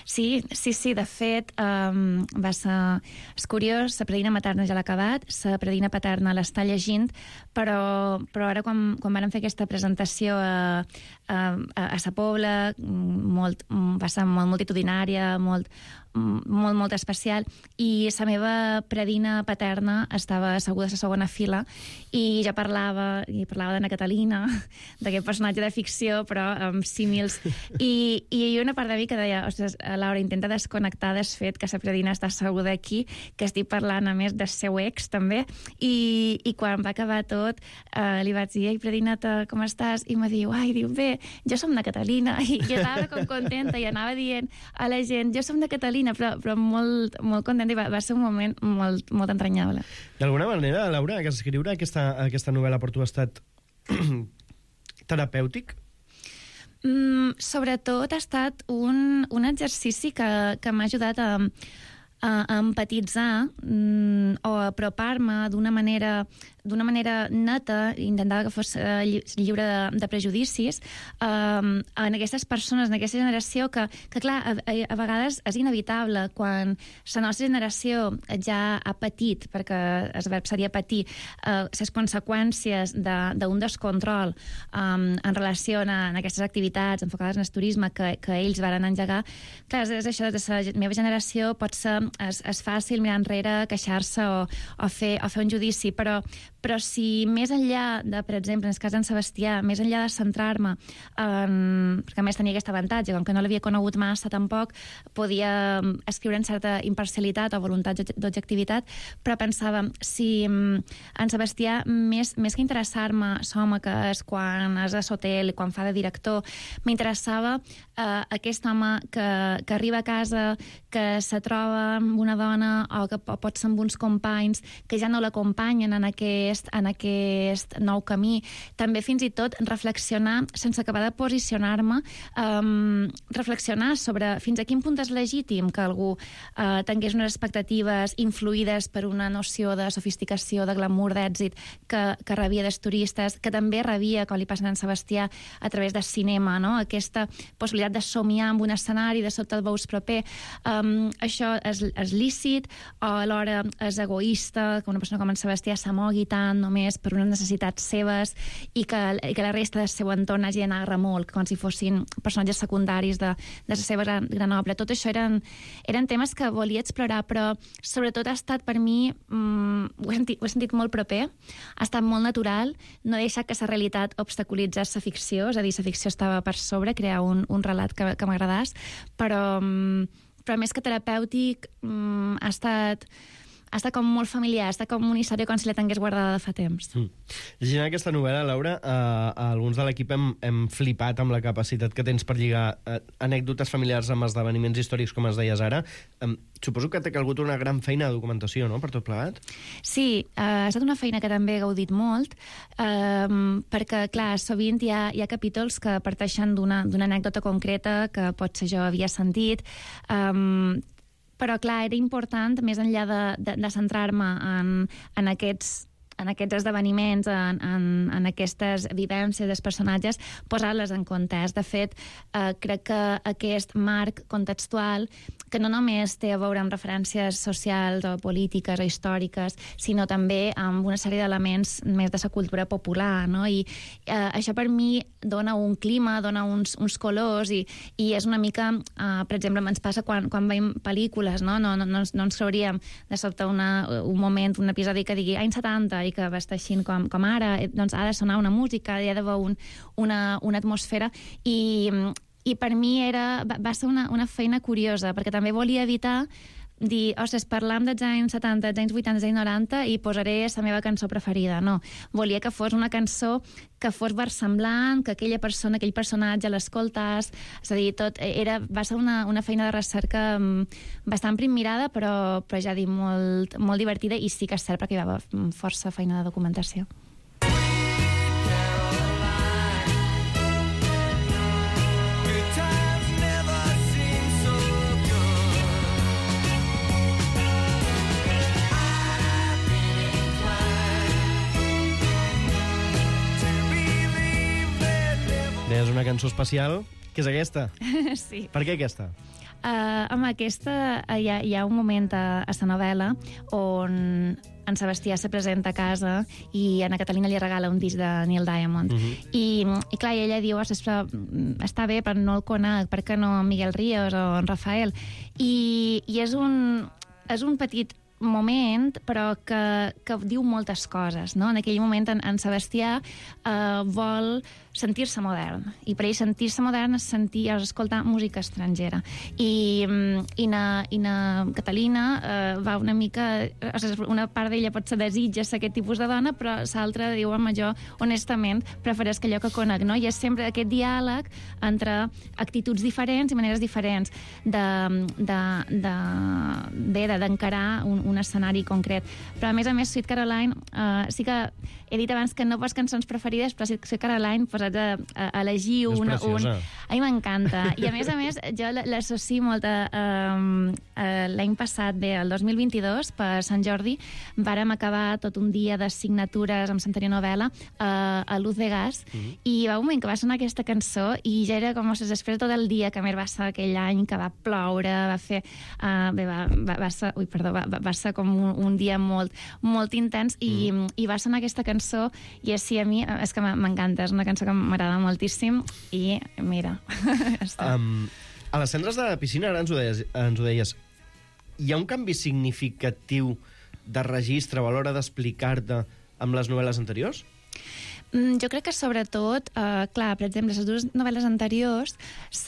Sí, sí, sí, de fet um, va ser... És curiós, la predina materna ja l'ha acabat, la predina paterna l'està llegint, però, però ara quan, quan vam fer aquesta presentació a, a, a Sa Pobla, molt, va ser molt multitudinària, molt, molt, molt especial, i la meva predina paterna estava asseguda a la segona fila i ja parlava, i parlava d'Anna Catalina, d'aquest personatge de ficció, però amb símils, i, i hi ha una part de mi que deia, ostres, Laura, intenta desconnectar del fet que la predina està asseguda aquí, que estic parlant a més del seu ex, també, i, i quan va acabar tot, eh, li vaig dir, ei, predinata, com estàs? I me diu, ai, diu, bé, jo som de Catalina, i jo estava com contenta i anava dient a la gent, jo som de Catalina, però, però molt, molt contenta, i va, va ser un moment molt, molt entranyable. D'alguna manera, Laura, que escriure aquesta, aquesta novel·la per tu ha estat terapèutic? Mm, sobretot ha estat un, un exercici que, que m'ha ajudat a, a, a empatitzar mm, o a apropar-me d'una manera d'una manera neta, intentava que fos uh, lliure de, de prejudicis, um, en aquestes persones, en aquesta generació, que, que clar, a, a, a vegades és inevitable, quan la nostra generació ja ha patit, perquè el verb seria patir, uh, les conseqüències d'un de, descontrol um, en relació a, a aquestes activitats enfocades en el turisme que, que ells van engegar. Clar, és, és això, de la meva generació pot ser, és, és fàcil mirar enrere, queixar-se o, o, fer, o fer un judici, però, però si més enllà de, per exemple, en el cas d'en Sebastià, més enllà de centrar-me en... perquè a més tenia aquest avantatge, com que no l'havia conegut massa tampoc, podia escriure en certa imparcialitat o voluntat d'objectivitat, però pensava, si en Sebastià, més, més que interessar-me l'home que és quan és a l'hotel, quan fa de director, m'interessava eh, aquest home que, que arriba a casa, que se troba amb una dona o que pot ser amb uns companys que ja no l'acompanyen en aquest, en aquest nou camí. També fins i tot reflexionar, sense acabar de posicionar-me, um, reflexionar sobre fins a quin punt és legítim que algú uh, tingués unes expectatives influïdes per una noció de sofisticació, de glamour, d'èxit que, que rebia dels turistes, que també rebia, com li passa a en Sebastià, a través del cinema, no? Aquesta possibilitat de somiar amb un escenari, de sota el veus proper. Um, això és, és lícit, o alhora és egoista, que una persona com en Sebastià s'amogui tant només per unes necessitats seves i que, i que la resta del seu entorn hagi d'anar a remolc, com si fossin personatges secundaris de, de la seva gran, gran obra. Tot això eren, eren temes que volia explorar, però sobretot ha estat per mi, um, ho, he sentit, ho he sentit molt proper, ha estat molt natural, no he deixat que la realitat obstaculitzés la ficció, és a dir, la ficció estava per sobre, crear un, un relat que, que m'agradàs, però, però més que terapèutic um, ha estat... ha estat com molt familiar, ha estat com una història com si la tingués guardada de fa temps. Mm. Llegint aquesta novel·la, Laura, eh, alguns de l'equip hem, hem flipat amb la capacitat que tens per lligar eh, anècdotes familiars amb esdeveniments històrics, com es deies ara. Eh, suposo que t'ha calgut una gran feina de documentació, no?, per tot plegat? Sí, eh, ha estat una feina que també he gaudit molt, eh, perquè, clar, sovint hi ha, hi ha capítols que parteixen d'una anècdota concreta que potser jo havia sentit, eh, però, clar, era important, més enllà de, de, de centrar-me en, en aquests en aquests esdeveniments, en, en, en aquestes vivències dels personatges, posar-les en context. De fet, eh, crec que aquest marc contextual, que no només té a veure amb referències socials o polítiques o històriques, sinó també amb una sèrie d'elements més de la cultura popular, no? I eh, això per mi dona un clima, dona uns, uns colors, i, i és una mica, eh, per exemple, ens passa quan, quan veiem pel·lícules, no? No, no, no, no ens creuríem de sobte una, un moment, un episodi que digui anys setanta, i que va estar així com, com ara, doncs ha de sonar una música, hi ha d'haver un, una, una atmosfera, i, i per mi era, va, va ser una, una feina curiosa, perquè també volia evitar dir, ostres, parlam dels anys setanta, dels anys vuitanta, dels anys noranta i posaré la meva cançó preferida. No, volia que fos una cançó que fos versemblant, que aquella persona, aquell personatge l'escoltàs, és a dir, tot era, va ser una, una feina de recerca bastant primmirada, però, però ja dic, molt, molt divertida, i sí que és cert perquè hi va haver força feina de documentació. És una cançó especial, que és aquesta. Sí. Per què aquesta? Uh, amb aquesta uh, hi, ha, hi ha un moment a, a la novel·la on en Sebastià se presenta a casa i a Catalina li regala un disc de Neil Diamond. Uh-huh. I, I clar, ella diu, ostres, però està bé, però no el conec, per què no Miguel Ríos o en Rafael? I, i és, un, és un petit moment, però que, que diu moltes coses, no? En aquell moment en, en Sebastià eh, vol sentir-se modern, i per ell sentir-se modern és sentir, és escoltar música estrangera, i, i, na, i na Catalina eh, va una mica, o sigui, una part d'ella pot ser desitja ser aquest tipus de dona, però l'altra diu, home, jo honestament prefereix allò que conec, no? I és sempre aquest diàleg entre actituds diferents i maneres diferents de, de, de, bé d'encarar un, un escenari concret. Però, a més a més, Sweet Caroline, uh, sí que he dit abans que no pos cançons preferides, però Sweet Caroline, posats a, a elegir una... Un... A mi m'encanta. I, a més a més, jo l'associo molt a... Um, uh, l'any passat, bé, el dos mil vint-i-dos, per Sant Jordi, vàrem acabar tot un dia de signatures amb Santeria Novel·la uh, a Luz de Gas, mm-hmm. i va un moment que va sonar aquesta cançó i ja era com si després tot el dia, que a més va ser aquell any que va ploure, va fer... Uh, bé, va, va, va ser... Ui, perdó, va, va ser com un, un dia molt, molt intens i, mm. i va sonar aquesta cançó i així a mi és que m'encanta, és una cançó que m'agrada moltíssim i mira, um, a les cendres de la piscina ara ens ho deies, ens ho deies. Hi ha un canvi significatiu de registre o a l'hora d'explicar-te amb les novel·les anteriors? Mm, jo crec que sobretot, uh, clar, per exemple, les dues novel·les anteriors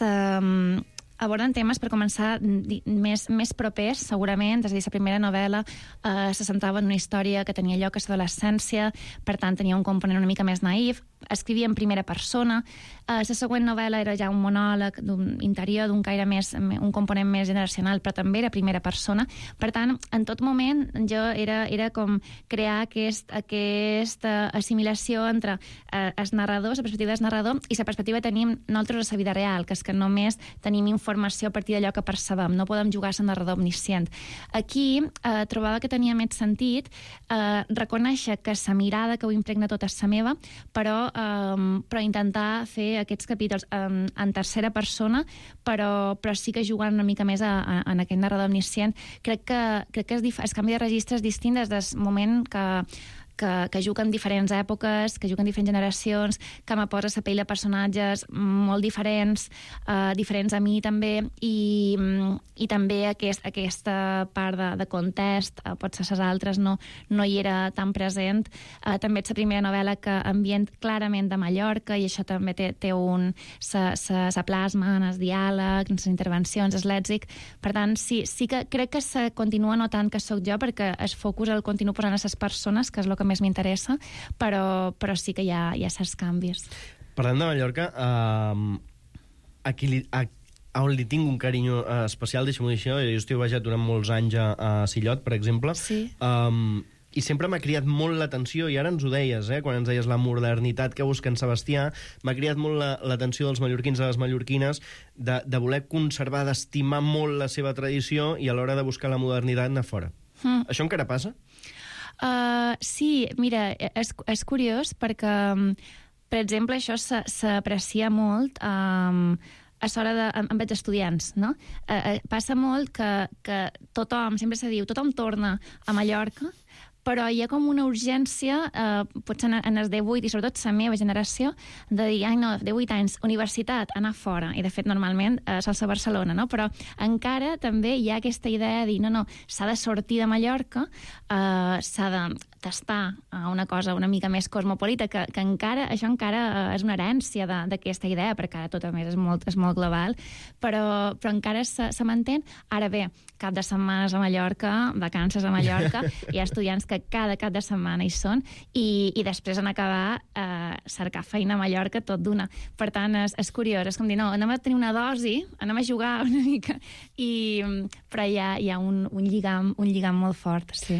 um, aborden temes, per començar, més, més propers, segurament. És a dir, la primera novel·la eh, se centrava en una història que tenia lloc a l'adolescència, per tant, tenia un component una mica més naïf. Escrivia en primera persona. Eh, la següent novel·la era ja un monòleg d'un interior, d'un caire més, un component més generacional, però també era primera persona. Per tant, en tot moment, jo era, era com crear aquest, aquesta assimilació entre eh, el narrador, la perspectiva del narrador, i la perspectiva que tenim nosaltres a la vida real, que és que només tenim informació a partir d'allò que percebem, no podem jugar a ser narrador omniscient. Aquí eh, trobava que tenia més sentit eh, reconèixer que la mirada que ho impregna tota és la meva, però, eh, però intentar fer aquests capítols en, en tercera persona, però, però sí que jugant una mica més a, a, en aquest narrador omniscient. Crec que, crec que és el canvi de registre és distint des del moment que Que, que juguen diferents èpoques, que juguen diferents generacions, que me posa la pell de personatges molt diferents, uh, diferents a mi també, i, i també aquest, aquesta part de, de context, uh, potser les altres no, no hi era tan present. Uh, també és la primera novel·la que ambient clarament de Mallorca, i això també té, té un... se, se, se plasma en el diàleg, en les intervencions, el lèxic. Per tant, sí, sí que crec que se continua notant que sóc jo, perquè el focus el continuo posant a les persones, que és el que més m'interessa, però, però sí que hi ha, hi ha certs canvis. Parlant de Mallorca, uh, a, qui li, a, a on li tinc un carinyo uh, especial, deixa'm-ho dir això, jo estic viatjat durant molts anys a, a Sillot, per exemple, sí. um, i sempre m'ha cridat molt l'atenció, i ara ens ho deies, eh, quan ens deies la modernitat que busca en Sebastià, m'ha cridat molt l'atenció dels mallorquins i de les mallorquines, de, de voler conservar, d'estimar molt la seva tradició i a l'hora de buscar la modernitat anar fora. Mm. Això encara passa? Uh, sí, mira, és, és curiós perquè, per exemple, això s'aprecia molt um, a l'hora de, amb els estudiants, no? Uh, passa molt que, que tothom, sempre se diu, tothom torna a Mallorca, però hi ha com una urgència, eh, potser en els divuit, i sobretot la meva generació, de dir, ai no, divuit anys, universitat, anar fora, i de fet normalment eh, sol ser Barcelona, no? Però encara també hi ha aquesta idea de dir, no, no, s'ha de sortir de Mallorca, eh, s'ha de tastar una cosa una mica més cosmopolita, que, que encara, això encara és una herència d'aquesta idea, perquè ara tot a més és molt, és molt global, però, però encara se, se mantén. Ara bé, cap de setmanes a Mallorca, vacances a Mallorca, hi ha estudiants que cada cap de setmana hi són, i, i després en acabar eh, cercar feina a Mallorca tot d'una. Per tant, és, és curiós, és com dir, no, anem a tenir una dosi, anem a jugar una mica, i, però hi ha, hi ha un, un, lligam, un lligam molt fort, sí.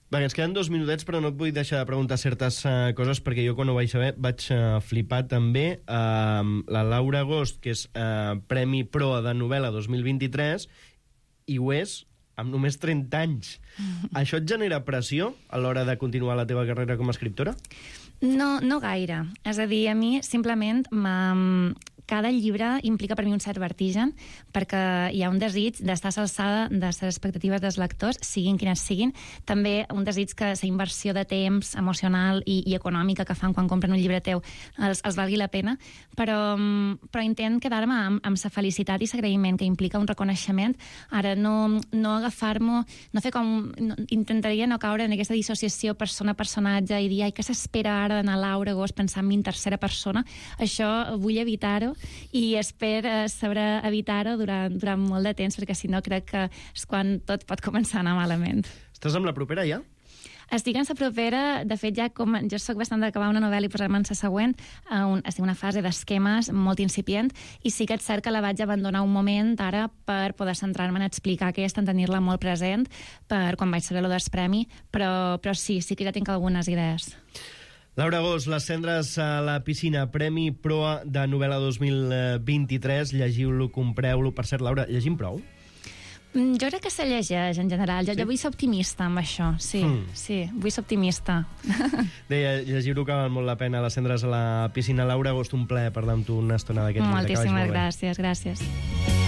Va, ens queden dos minutets, però no et vull deixar de preguntar certes uh, coses, perquè jo quan ho vaig saber vaig uh, flipar també. Uh, la Laura Agost, que és uh, Premi Proa de novel·la dos mil vint-i-tres, i ho és amb només trenta anys. Mm-hmm. Això et genera pressió a l'hora de continuar la teva carrera com a escriptora? No, no gaire. És a dir, a mi simplement m'ha... Cada llibre implica per mi un cert vertigen, perquè hi ha un desig d'estar a l'alçada de les expectatives dels lectors, siguin quines siguin. També un desig que la inversió de temps emocional i, i econòmica que fan quan compren un llibre teu els, els valgui la pena, però, però intent quedar-me amb, amb la felicitat i l'agraïment que implica un reconeixement. Ara, no, no agafar-m'ho, no fer com... No, intentaria no caure en aquesta dissociació persona-personatge i dir, ai, què s'espera ara d'anar a Laura Agost pensant en mi en tercera persona? Això vull evitar-ho, i espero saber evitar-ho durant, durant molt de temps, perquè si no crec que és quan tot pot començar a anar malament. Estàs amb la propera ja? Estic en la propera, de fet ja com jo sóc bastant d'acabar una novel·la i posar-me en la següent, a un, estic en una fase d'esquemes molt incipient, i sí que és cert que la vaig abandonar un moment ara per poder centrar-me en explicar aquesta, en tenir-la molt present, per quan vaig saber lo del premi, però, però sí, sí que ja tinc algunes idees. Laura Gós, Les cendres a la piscina, Premi Proa de novel·la dos mil vint-i-tres. Llegiu-lo, compreu-lo. Per cert, Laura, llegim prou? Jo crec que se llegeix, en general. Jo, sí? jo vull ser optimista amb això, sí. Mm. Sí, vull ser optimista. Deia, llegir-ho que val molt la pena, Les cendres a la piscina. Laura Gós, un plaer parlar amb tu una estona d'aquests dies. Moltíssimes gràcies, gràcies.